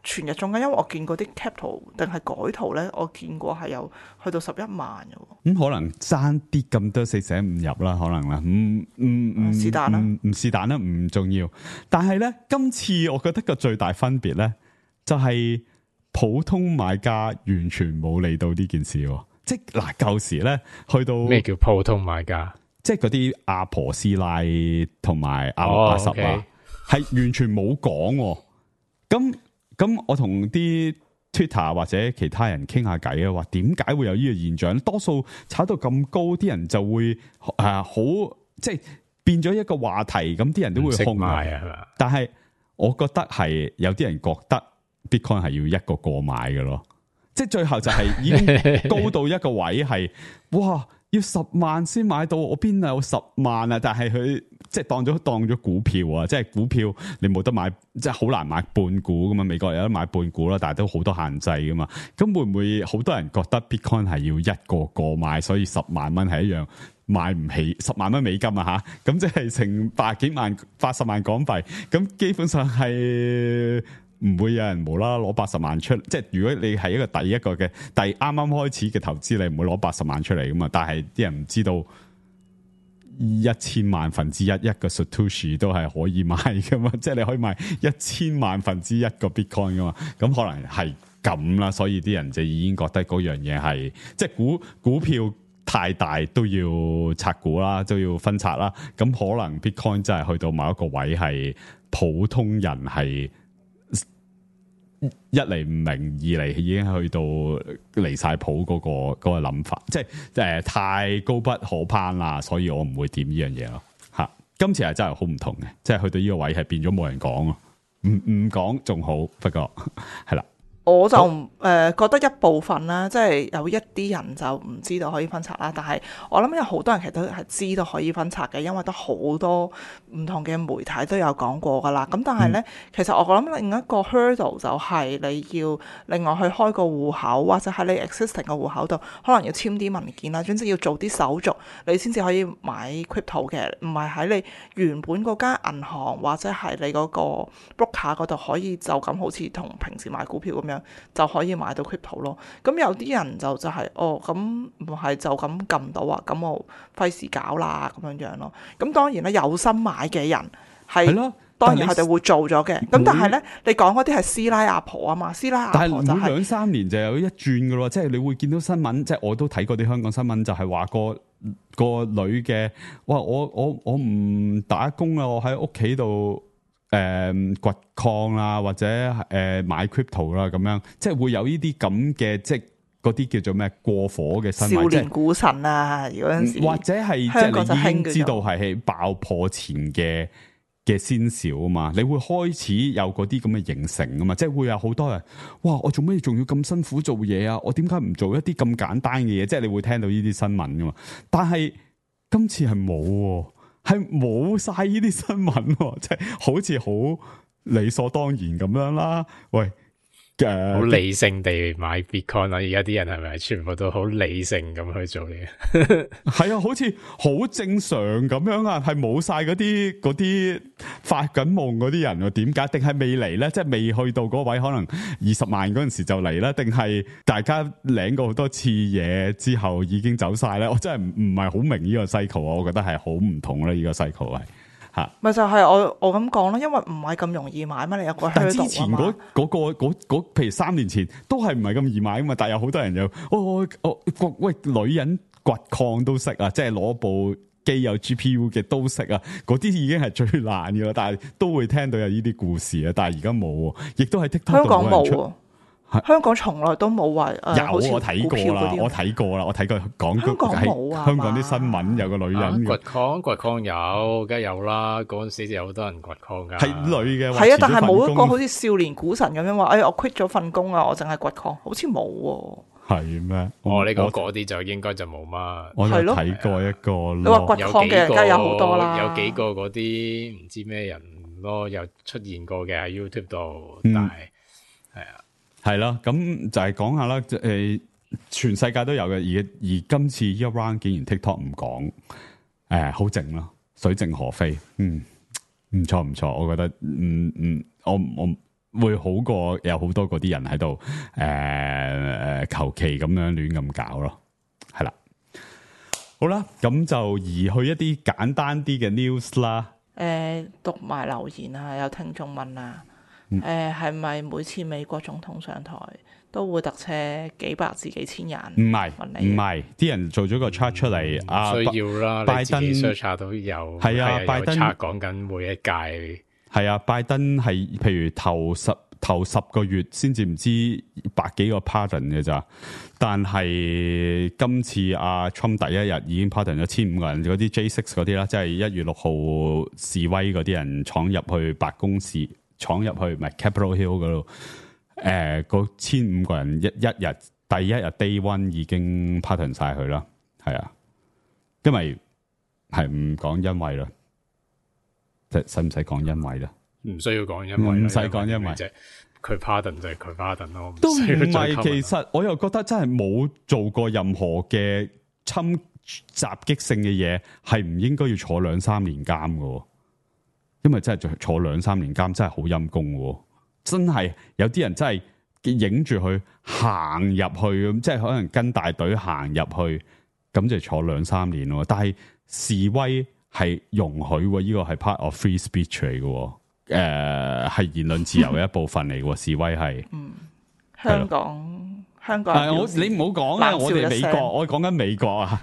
全日中間，因為我見過啲 cap 圖定係改圖咧，我見過係有去到11萬嘅。咁可能爭啲咁多四捨五入啦，可能啦，是但啦，唔是但啦，唔重要。但係咧，今次我覺得個最大分別咧，就係普通買家完全冇理到呢件事。即係嗱，舊時咧去到咩叫普通買家？即係嗰啲阿婆師奶同埋阿680啊，係完全冇講。咁我同啲 Twitter 或者其他人傾下偈啊，話點解會有呢個現象？多數炒到咁高，啲人就會好即係變咗一個話題，咁啲人都會控買啊。但係我覺得係有啲人覺得 Bitcoin 係要一個買嘅咯，即係最後就係已經高到一個位係哇，要10萬先買到，我邊有10萬啊？但係佢即係當咗股票啊！即係股票你冇得買，即係好難買半股噶嘛。美國有得買半股啦，但係都好多限制噶嘛。咁會唔會好多人覺得 Bitcoin 係要一個買，所以10萬蚊係一樣買唔起10萬蚊美金啊？吓，咁即係成80幾萬80萬港幣，咁基本上係唔會有人無啦啦攞80萬出，即係如果你係一個第一個嘅啱啱開始嘅投資，你唔會攞80萬出嚟噶嘛。但係啲人唔知道1000萬分之一個 Satoshi 都係可以買噶嘛，即係你可以買1000萬分之一個 Bitcoin 噶嘛。咁可能係咁啦，所以啲人就已經覺得嗰樣嘢係即係股票太大都要拆股啦，都要分拆啦。咁可能 Bitcoin 真係去到某一個位係普通人係一嚟唔明，二嚟已經去到離晒譜嗰個諗法，即係太高不可攀啦，所以我唔會點呢樣嘢咯。吓，今次係真係好唔同嘅，即係去到呢個位係變咗冇人講咯，唔講仲好，不過係啦。我就覺得一部分啦，即係有一啲人就唔知道可以分拆啦，但係我諗有好多人其實都係知道可以分拆嘅，因為都好多唔同嘅媒體都有講過噶啦。咁但係呢，其實我諗另一個 hurdle 就係你要另外去開個戶口，或者喺你 existing 嘅戶口度，可能要簽啲文件啦，總之要做啲手續，你先至可以買 crypto 嘅，唔係喺你原本嗰間銀行或者係你嗰個 broker 嗰度可以就咁好似同平時買股票咁樣樣就可以買到 crypto 咯。咁有啲人就係咁唔係就咁撳到啊，咁我費事搞啦咁樣咯。咁當然啦，有心買嘅人係咯。當然佢哋會做咗嘅，咁但係咧，你講嗰啲係師奶阿婆啊嘛，師奶阿婆就係、但係每2-3年就有一轉噶咯，即係你會見到新聞，即係我都睇過啲香港新聞，就係話個女嘅，哇！我唔打工啦，我喺屋企度掘礦啦，或者買 crypto 啦，咁樣即係會有呢啲咁嘅，即係嗰啲叫做咩過火嘅新聞，少年股神啊，嗰陣時或者係即係你已經知道係爆破前嘅先兆啊嘛，你會開始有嗰啲咁嘅形成啊嘛，即係會有好多人，哇！我做咩仲要咁辛苦做嘢啊？我點解唔做一啲咁簡單嘅嘢？即係你會聽到呢啲新聞噶嘛，但係今次係冇，係冇晒呢啲新聞，即係好似好理所當然咁樣啦。喂！好理性地買 Bitcoin 啦，而家啲人係咪全部都好理性咁去做嘢？係啊，好似好正常咁樣啊，係冇晒嗰啲發緊夢嗰啲人啊？點解？定係未嚟咧？即係未去到嗰位，可能20萬嗰陣時就嚟啦？定係大家領過好多次嘢之後已經走晒咧？我真係唔係好明呢個 cycle，我覺得係好唔同啦，呢個 cycle 係。咪就係我咁講咯，因為唔係咁容易買嘛，你有個但之前嗰譬如3年前都係唔係咁易買噶嘛，但係有好多人又喂女人掘礦都識啊，即係攞部機有 GPU 嘅都識啊，嗰啲已經係最難噶啦，但係都會聽到有呢啲故事啊，但係而家冇，亦都係 TikTok 香港冇。香港從來都冇話有我睇過啦，我睇過講香港冇啊，香港啲新聞有個女人掘礦有，梗係有啦。嗰陣時就有好多人掘礦噶，係女嘅，係啊，但係冇一個好似少年股神咁樣話，我 quit 咗份工啊，我淨係掘礦，好似冇喎。係咩？你講嗰啲就應該就冇乜。我有睇過一個，你話掘礦嘅人梗係有好多啦，有幾個嗰啲唔知咩人咯，有出現過嘅喺 YouTube 度，但係係啊。係啦，咁就係講下啦，全世界都有嘅，而今次呢一 round 竟然 TikTok 唔講，好靜咯，水靜河飛，唔錯，我覺得，我會好過有好多嗰啲人喺度，求其咁樣亂咁搞咯，係啦，好啦，咁就移去一啲簡單啲嘅 news 啦，讀埋留言啊，有聽眾問啊。係咪每次美國總統上台都會特車幾百至幾千人？唔係，啲人做咗個 chart 出嚟，需要啦。拜登 search 下都有，係啊，拜登講緊每一屆，係啊，拜登係譬如頭十個月先至唔知百幾個 pardon 嘅咋，但係今次阿 Trump 第一日已經 pardon 咗1500個人，嗰啲 J6 嗰啲啦，即係1月6號示威嗰啲人闖入去白宮市。闖入去唔係 Capitol Hill 嗰度，嗰1500個人一日第一日 Day One 已經 pardon 晒佢啦，係啊，因為係唔講因為啦，使唔使講因為啦？唔需要講因為，唔使講因為，佢 pardon 就係佢 pardon 咯，都唔係。其實我又覺得真係冇做過任何嘅襲擊性嘅嘢，係唔應該要坐2-3年監㗎。因為真係坐2-3年監真係好陰功喎，真係有啲人真係影住佢行入去咁，即係可能跟大隊行入去，咁就坐2-3年咯。但係示威係容許喎，呢個係 part of free speech 嚟嘅，係言論自由嘅一部分嚟嘅。示威係，香港，你唔好講啦，我哋美國，我講緊美國啊，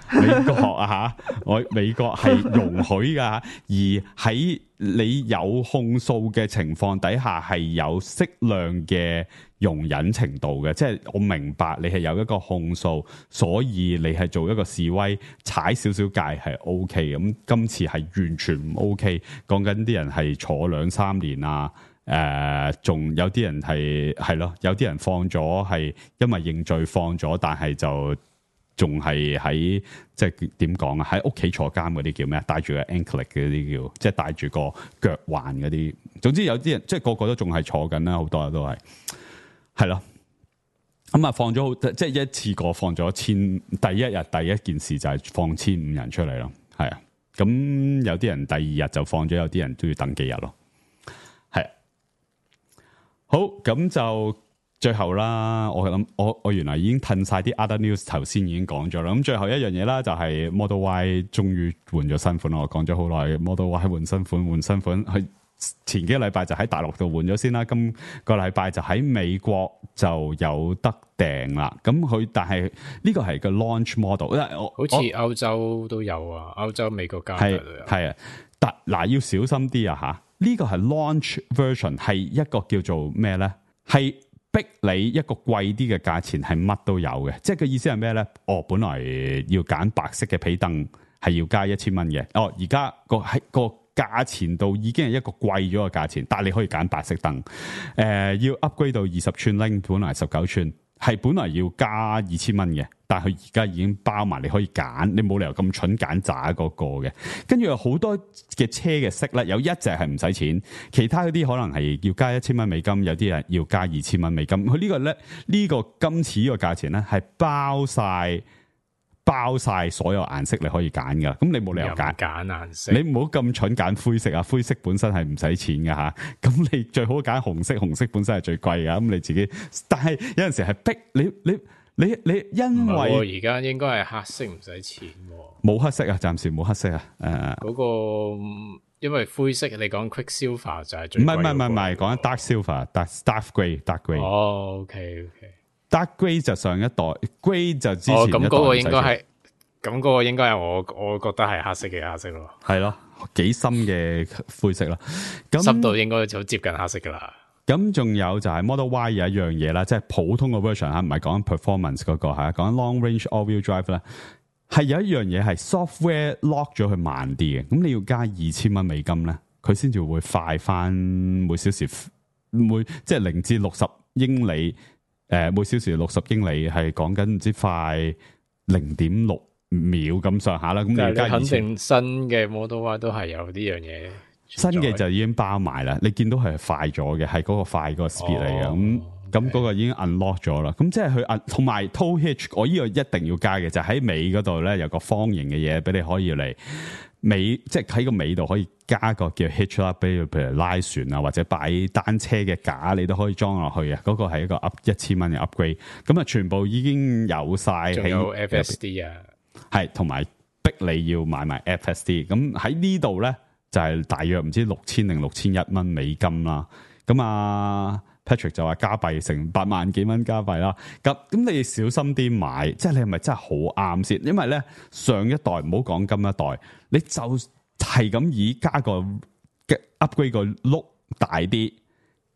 美國係容許噶，而喺你有控訴嘅情況底下，係有適量嘅容忍程度嘅，即係我明白你係有一個控訴，所以你係做一個示威踩少少界係 OK，咁今次係完全唔 OK，講緊啲人係坐2-3年啊。仲有啲人係咯，有啲人放咗係因為認罪放咗，但係就仲係喺即係點講啊？喺屋企坐監嗰啲叫咩？戴住個 anklet 嘅啲叫，即係戴住個腳環嗰啲。總之有啲人即係個個都仲係坐緊啦，好多都係咯。咁啊放咗好，即係一次過放咗第一日第一件事就係放1500人出嚟咯，係啊。咁有啲人第2日就放咗，有啲人都要等幾日咯。好，咁就最後啦，我諗我原來已經褪晒啲 other news， 頭先已經講咗啦。咁最後一樣嘢啦，就係 Model Y 終於換咗新款啦。我講咗好耐 ，Model Y 換新款，佢前幾個禮拜就喺大陸度換咗先啦。今個禮拜就喺美國就有得訂啦。咁但係呢個係個 launch model， 好似歐洲都有啊，歐洲、美國、加拿大都有。係啊，但嗱要小心啲啊吓，呢個係 launch version， 係一個叫做咩咧？係逼你一個貴啲嘅價錢係乜都有嘅，即係個意思係咩咧？本來要揀白色嘅皮凳係要加1000蚊嘅，而家個價錢度已經係一個貴咗嘅價錢，但係你可以揀白色凳。要 upgrade 到20寸 link， 本來19寸，係本來要加2000蚊嘅，但係佢而家已經包埋，你可以揀，你冇理由咁蠢揀渣嗰個嘅。跟住有好多嘅車嘅色咧，有一隻係唔使錢，其他嗰啲可能係要加1000蚊美金，有啲人要加2000蚊美金。佢呢個咧，呢個今次呢個價錢咧係包晒所有顏色你可以揀噶，咁你冇理由揀顏色，你唔好咁蠢揀灰色啊！灰色本身係唔使錢噶吓，咁你最好揀紅色，紅色本身係最貴噶，咁你自己。但係有陣時係逼你，因為而家應該係黑色唔使錢，冇黑色啊，暫時冇黑色啊。嗰個因為灰色你講 Quicksilver 就係最貴，唔係，講緊 Dark Silver、Dark Grey。Grey。Dark Grey 就上一代 ，Grey 就之前一代。咁嗰個應該係，咁嗰個應該係我覺得係黑色嘅顏色咯。係咯，幾深嘅灰色啦。咁濕度應該就接近黑色噶啦。咁仲有就係 Model Y 有一樣嘢啦，即係普通嘅 version 吓，唔係講緊 performance 嗰個吓，講緊 long range all-wheel drive 咧，係有一樣嘢係 software lock 咗佢慢啲嘅。咁你要加2000蚊美金咧，佢先至會快翻每小時即係0至60英里。每小時60英里係講緊唔知快0.6秒咁上下啦。咁你而家肯定新嘅 Model Y 都係有呢樣嘢，新嘅就已經包埋啦。你見到係快咗嘅，係嗰個快嗰個 speed 嚟嘅。咁嗰個已經 unlock 咗啦。咁即係佢同埋 tow hitch， 我呢個一定要加嘅就喺尾嗰度咧，有個方形嘅嘢俾你可以嚟尾，即係喺個尾度可以加個叫 hitch 啦，譬如拉船啊，或者擺單車嘅架，你都可以裝落去啊。嗰個係一個 1000蚊嘅 upgrade。咁啊，全部已經有晒，仲有 FSD 啊，係同埋逼你要買埋 FSD。咁喺呢度咧就係大約唔知6000定6100蚊美金啦。咁啊 Patrick 就話加幣成8萬幾蚊加幣啦。咁你要小心啲買，即係你係咪真係好啱先？因為咧上一代唔好講今一代，你就係咁以加個 upgrade 個碌大啲，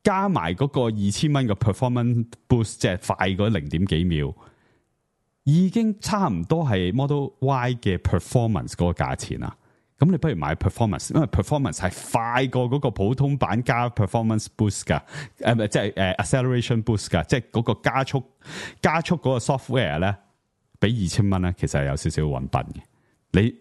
加埋嗰個2000蚊嘅 performance boost， 即係快嗰0.幾秒，已經差唔多係 Model Y 嘅 performance 嗰個價錢啦。咁你不如買 performance， 因為 performance 係快過嗰個普通版加 performance boost 噶，即係acceleration boost 噶，即係嗰個加速嗰個 software 咧，俾2000蚊咧，其實係有少少搵笨嘅。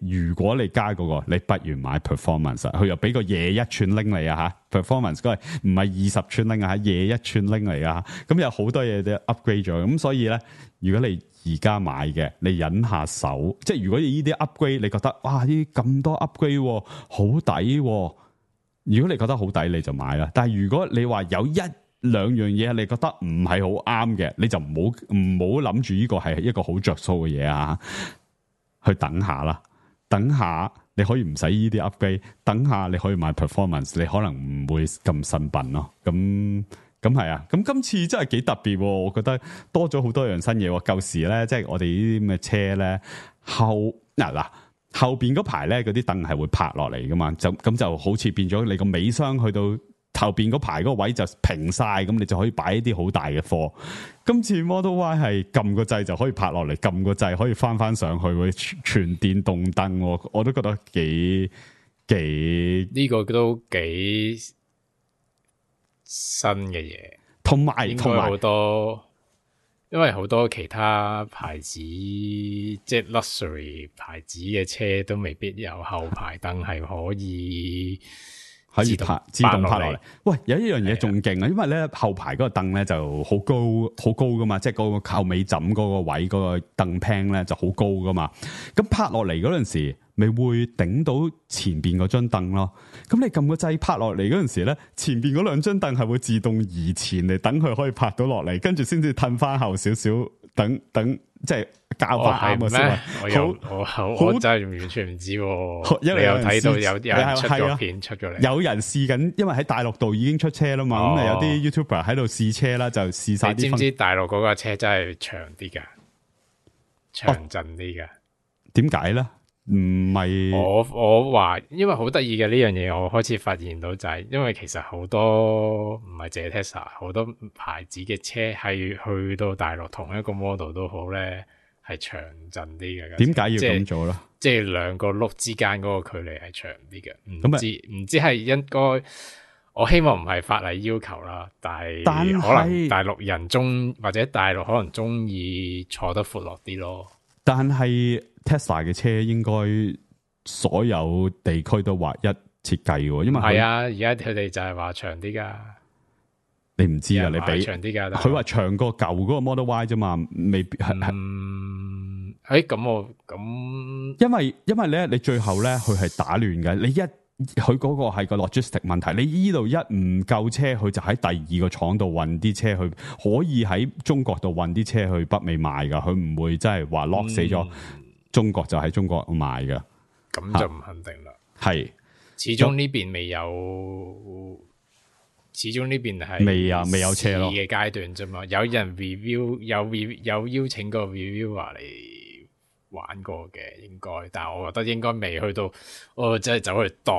如果你加嗰個，你不如買 performance， 佢又俾個21寸拎嚟啊吓 ，performance 嗰係唔係20寸拎啊，21寸拎嚟啊，咁有好多嘢都 upgrade 咗，咁所以咧，如果你而家買嘅，你忍下手，即係如果你呢啲 upgrade，你覺得哇呢咁多 upgrade 好抵，如果你覺得好抵，你就買啦。但係如果你話有1-2樣嘢你覺得唔係好啱嘅，你就唔好諗住呢個係一個好着數嘅嘢啊。去等下啦，等下你可以唔使呢啲 upgrade， 等下你可以買 performance， 你可能唔會咁新笨咯。咁係啊，咁今次真係幾特別，我覺得多咗好多樣新嘢。舊時咧，即係我哋呢啲咁嘅車咧，後邊嗰排咧，嗰啲凳係會拍落嚟噶嘛，咁就好似變咗你個尾箱去到後邊嗰排嗰個位就平晒，咁你就可以擺一啲好大嘅貨。今次 Model Y 係撳個掣就可以拍落嚟，撳個掣可以翻上去，會全電動燈，我都覺得幾呢個都幾新嘅嘢，同埋好多，因為好多其他牌子即係 luxury 牌子嘅車都未必有後排燈係可以可以自動拍落嚟。喂，有一樣嘢仲勁啊，因為咧後排嗰個凳咧就好高噶嘛，即係嗰個後尾枕嗰個位嗰個凳 pan 咧就好高噶嘛。咁拍落嚟嗰陣時，咪會頂到前邊嗰張凳咯。咁你撳個掣拍落嚟嗰陣時咧，前邊嗰兩張凳係會自動移前嚟，等佢可以拍到落嚟，跟住先至褪翻後少少，等即係校翻啱啊先。我真係完全唔知喎。你有睇到有人出咗片出咗嚟，有人試緊，因為喺大陸度已經出車啦嘛。咁啊有啲 YouTuber 喺度試車啦，就試晒啲。你知唔知大陸嗰架車真係長啲噶，長陣啲噶？點解咧？唔係我話，因為好得意嘅呢樣嘢，我開始發現到就係，因為其實好多唔係淨係 Tesla，好多牌子嘅車係去到大陸同一個 model 都好咧，係長陣啲嘅。點解要咁做咧？即係兩個轆之間嗰個距離係長啲嘅。唔知係應該，我希望唔係法例要求啦，但係可能大陸人或者大陸可能中意坐得闊落啲咯。但係 Tesla 嘅車應該所有地區都劃一設計嘅，因為係啊，而家佢哋就係話長啲噶。你唔知啊？你比長啲噶，佢話長過舊嗰個 Model Y 啫嘛，未必係。咁因為咧，你最後咧佢係打亂嘅。佢嗰個係個 logistic 問題，你依度一唔夠車，佢就喺第二個廠度運啲車去，可以喺中國度運啲車去北美賣噶，佢唔會真係話 lock 死咗中國就喺中國賣噶。咁就唔肯定啦。係，始終呢邊未有，始終呢邊係未有車咯嘅階段啫嘛。有人 review 有邀請個 reviewer 嚟玩過嘅應該，但係我覺得應該未去到，我真係走去度。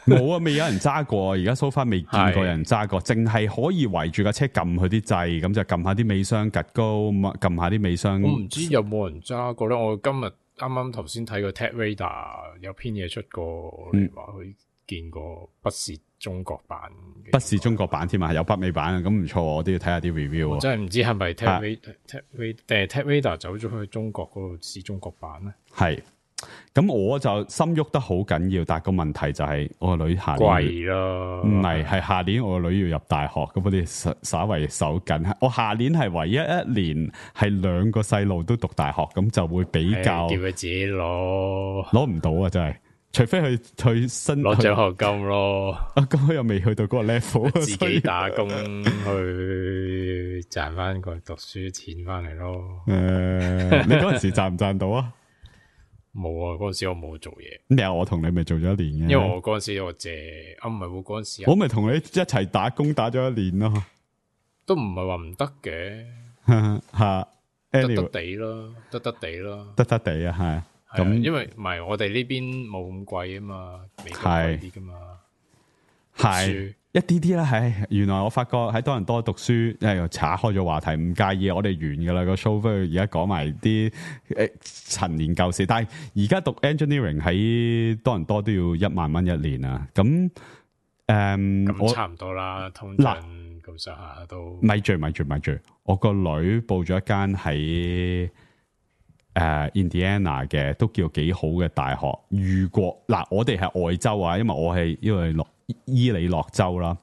冇啊，未有人揸過，而家 so far 未見過人揸過，淨係可以圍住架車撳佢啲掣，咁就撳下啲尾箱趌高，撳下啲尾箱。我唔知有冇人揸過咧。我今日啱啱頭先睇個 TechRadar 有篇嘢出過，你話佢見過不是中國版，不是中國版添啊，有北美版啊，咁唔錯，我都要睇下啲 review。我真係唔知係咪 TechRadar 定係 TechRadar 走咗去中國嗰度試中國版咧？係，咁我就心喐得好緊要，但係個問題就係我個女下年貴咯，唔係下年我個女要入大學，咁我哋稍為手緊。我下年係唯一一年係兩個細路都讀大學，咁就會比較叫佢自己攞唔到啊！真係。除非佢去新攞獎學金咯，咁佢又未去到嗰個 level，自己打工去賺翻個讀書錢翻嚟咯。你嗰陣時賺唔賺到啊？冇啊，嗰陣時我冇做嘢。咩啊？我同你咪做咗一年嘅，因為我嗰陣時我借唔係喎，嗰陣時我咪同你一齊打工打咗一年咯，都唔係話唔得嘅，吓得得地咯，得得地咯，得得地啊，係。咁因為唔係我哋呢邊冇咁貴啊嘛，美國貴啲噶嘛，係一啲啲啦。係原來我發覺喺多倫多讀書，因為又岔開咗話題，唔介意我哋完噶啦個 show，不如而家講埋啲陳年舊事。但係而家讀 engineering 喺多倫多都要1萬蚊一年啊。咁咁差唔多啦，通脹咁上下都。咪住，我個女報咗一間喺Indiana 嘅都叫幾好嘅大學。如果我哋係外州啊，因為我係因為伊利諾州啦，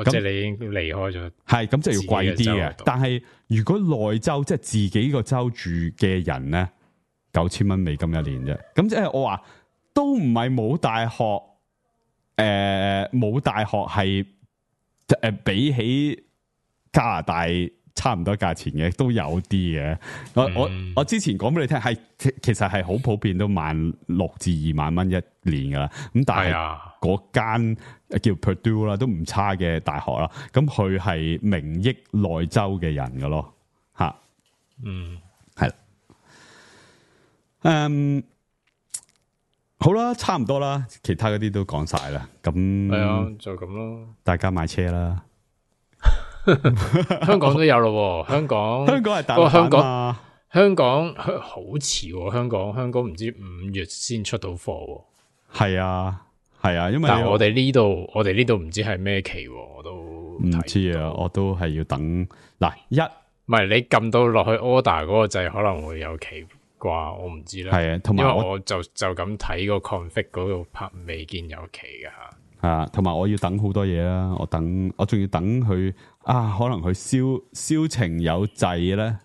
即係你已經離開咗，係咁就要貴啲嘅。但係如果內州即係自己個州住嘅人咧，9,000蚊美金一年啫。咁即係我話都唔係冇大學，冇大學係比起加拿大差唔多價錢嘅都有啲嘅。我之前講俾你聽，係其實係好普遍，都16,000至2,000蚊一年噶啦。咁但係嗰間叫 Purdue 啦，都唔差嘅大學啦。咁佢係名益內州嘅人噶咯，吓，係啦，好啦，差唔多啦，其他嗰啲都講晒啦。咁係啊，就咁咯。大家買車啦。香港都有咯，香港係大陸嘛？香港好遲喎，香港唔知5月先出到貨。係啊，因為但係我哋呢度唔知係咩期，我都唔知啊，我都係要等嗱唔係你撳到落去 order 嗰個掣可能會有期啩，我唔知啦。係啊，同埋因為我就咁睇個 config 嗰度拍未見有期噶吓。係啊，同埋我要等好多嘢啦，我仲要等佢啊，可能佢銷情有滯咧，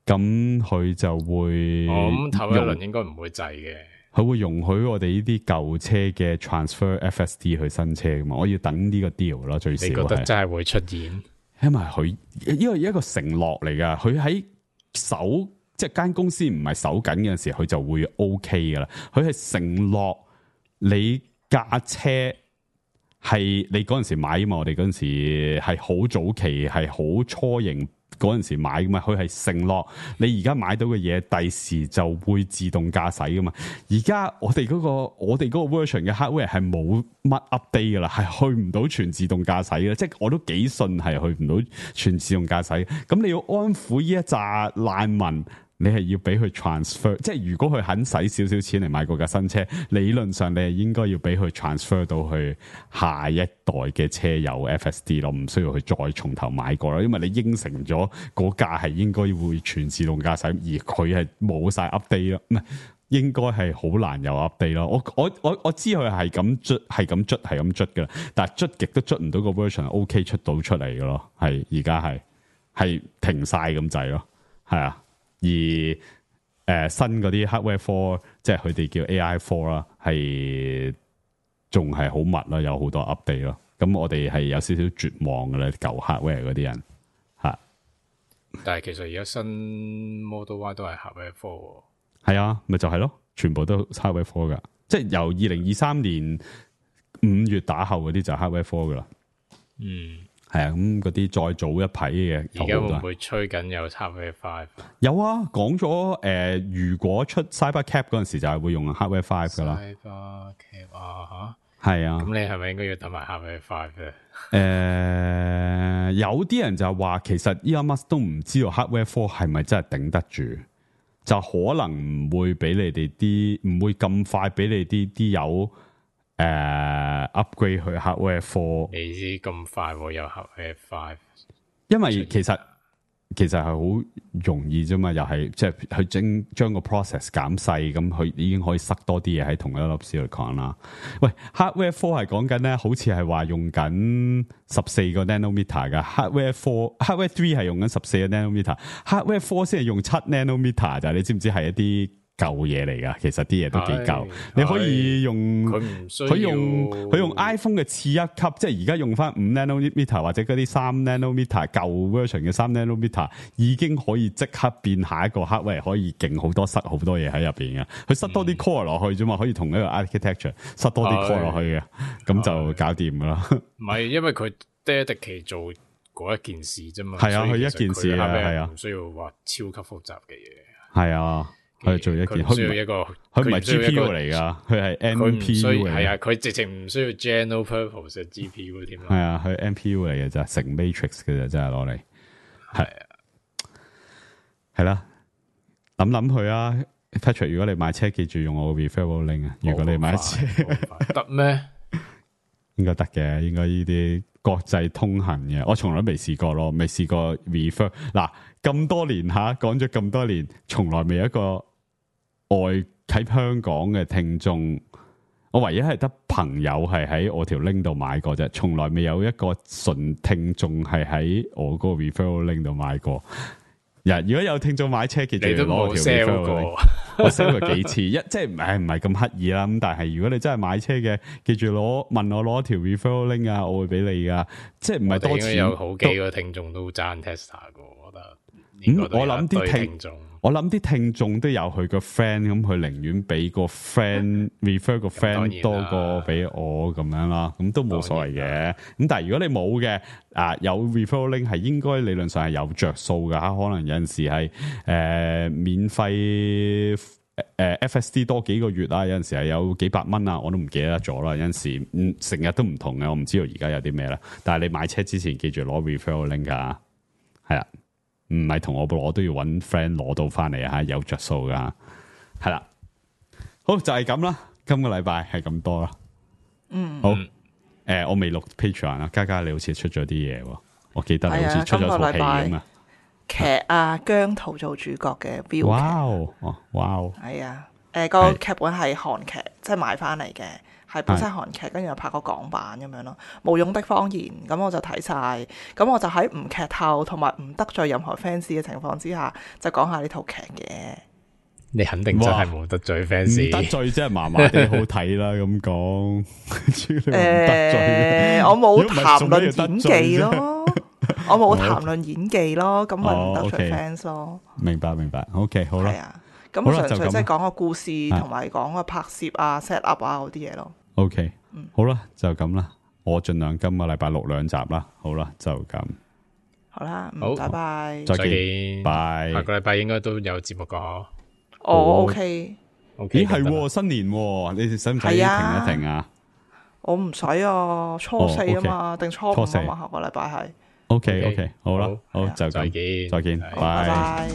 咁佢就會咁頭一輪應該唔會滯嘅，佢會容許我哋呢啲舊車嘅 transfer FSD 去新車噶嘛，我要等呢個 deal 咯，最少你覺得真係會出現？因為佢因為一個承諾嚟噶，佢喺手即係間公司唔係手緊嘅時候，佢就會 OK 噶啦，佢係承諾你。架車係你嗰陣時買嘛？我哋嗰陣時係好早期，係好初型嗰陣時買噶嘛？佢係承諾你而家買到嘅嘢，第時就會自動駕駛噶嘛？而家我哋嗰個 version 嘅 hardware 係冇乜 update 噶啦，係去唔到全自動駕駛嘅，即係我都幾信係去唔到全自動駕駛。咁你要安撫呢一紮難民。你係要俾佢 transfer， 即係如果佢肯使少少錢嚟買嗰架新車，理論上你係應該要俾佢 transfer 到去下一代嘅車有 FSD 咯，唔需要去再從頭買過啦。因為你應承咗嗰架係應該會全自動駕駛，而佢係冇晒 update 咯，唔係應該係好難有 update 咯。我知佢係咁捽噶啦，但係捽極都捽唔到個 version OK 出到出嚟嘅咯，係而家係停晒咁滯咯，係啊。而新嗰啲 hardware 4，即係佢哋叫 AI 4啦，係仲係好密啦，有好多 update 咯。咁我哋係有少少絕望嘅咧，舊 hardware 嗰啲人吓。但係其實而家新 Model Y 都係 hardware 4，係啊，咪就係咯，全部都 hardware 4噶，即係由2023年5月打後嗰啲就 hardware 4噶啦。嗯。係啊，咁嗰啲再早一批嘅，而家會唔會吹緊有 Hardware 5？有啊，講咗如果出 Cybercab 嗰陣時就係會用 Hardware 5噶啦。Cybercab 啊吓，係啊。咁你係咪應該要等埋 Hardware 5咧？有啲人就話其實 Elon Musk 都唔知道 Hardware 4係咪真係頂得住，就可能唔會俾你哋啲，唔會咁快俾你啲有。upgrade 去 hardware 4，你知咁快會有 hardware 5？因為其實係好容易啫嘛，又係即係佢將個 process 減細，咁佢已經可以塞多啲嘢喺同一粒 silicon 啦。喂 ，hardware 4係講緊咧，好似係話用緊14個 nanometer 噶 hardware 3係用緊14個 nanometer，hardware 4先係用7 nanometer 咋？你知唔知係一啲？舊嘢嚟噶，其實啲嘢都幾舊。你可以用佢用 iPhone 嘅次一級，即係而家用翻5 nanometer 或者嗰啲3 nanometer 舊 version 嘅3 nanometer，已經可以即刻變下一個 hardware，可以勁好多，塞好多嘢喺入邊嘅。佢塞多啲 core 落去啫嘛，可以同一個 architecture 塞多啲 core 落去嘅，咁就搞掂噶啦。唔係，因為佢dedicated做嗰一件事啫嘛。係啊，佢一件事啊，係啊，唔需要話超級複雜嘅嘢。係啊。佢做一件，佢唔需要一個，佢唔係 GPU 嚟噶，佢係 NPU 嚟。係啊，佢直情唔需要 general purpose 嘅 GPU 添。係啊，佢 NPU 嚟嘅咋，成 matrix 嘅咋，真係攞嚟。係啊，係啦，諗佢啊 ，Patrick， 如果你買車，記住用我個 referral link 啊。如果你買車得咩？應該得嘅，應該呢啲國際通行嘅，我從來未試過咯，未試過 refer。嗱，咁多年吓，講咗咁多年，從來未有一個外喺香港嘅聽眾，我唯一係得朋友係喺我條 link 度買過啫，從來未有一個純聽眾係喺我嗰個 referral link 度買過。如果有聽眾買車，記住攞我條 referral link。我 sell 過幾次，即係唔係咁刻意啦。咁但係如果你真係買車嘅，記住問我攞條 referral link 啊，我會俾你噶。即係唔係多錢。有好幾個聽眾都爭 Tesla 嘅，我覺得。我諗啲聽眾都有佢個 friend， 咁佢寧願俾個 friend refer 個 friend 多過俾我咁樣啦，咁都冇所謂嘅。咁但係如果你冇嘅，有 referral link 係應該理論上係有着數噶，可能有陣時係免費FSD 多幾個月啊，有陣時係有幾百蚊啊，我都唔記得咗啦。有陣時成日都唔同嘅，我唔知道而家有啲咩啦。但係你買車之前記住攞 referral link 噶，係啦。唔係同我攞都要揾 friend 攞到翻嚟啊！有着數噶，係啦，好就係咁啦。今個禮拜係咁多啦。好，我未錄 Patreon 啊，嘉嘉你好似出咗啲嘢喎，我記得你好似出咗套戲咁啊。劇啊，姜濤做主角嘅標劇。哇！係啊，個劇本係韓劇，即係買翻嚟嘅。係本身韓劇，跟住又拍個港版咁樣咯。無用的謊言咁我就睇晒，咁我就喺唔劇透同埋唔得罪任何 fans 嘅情況之下，就講下呢套劇嘅。你肯定真係冇得罪 fans， 唔得罪即係麻麻地好睇啦咁講。得罪我冇談論演技咯，我冇談論演技咯，咁咪唔得罪 fans 咯。明白明白 ，OK 好啦。係啊，咁純粹即係講個故事同埋講個拍攝啊、set up 啊嗰啲嘢咯。OK，好啦，就咁啦。我盡量今個禮拜錄2集啦。好啦，就咁。好啦，好，拜拜，再見，拜。下個禮拜應該都有節目噶。OK。咦係新年，你哋使唔使停一停啊？我唔使啊，初4啊嘛，定初5啊嘛，下個禮拜係。OK，好啦，好就咁，再見，拜拜。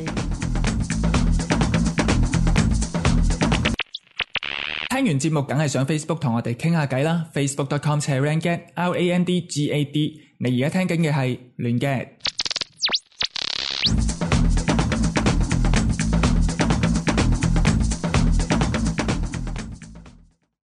聽完節目梗係上 Facebook 同我哋傾下偈啦，facebook.com/randgad，RANDGAD。你而家聽緊嘅係亂嘅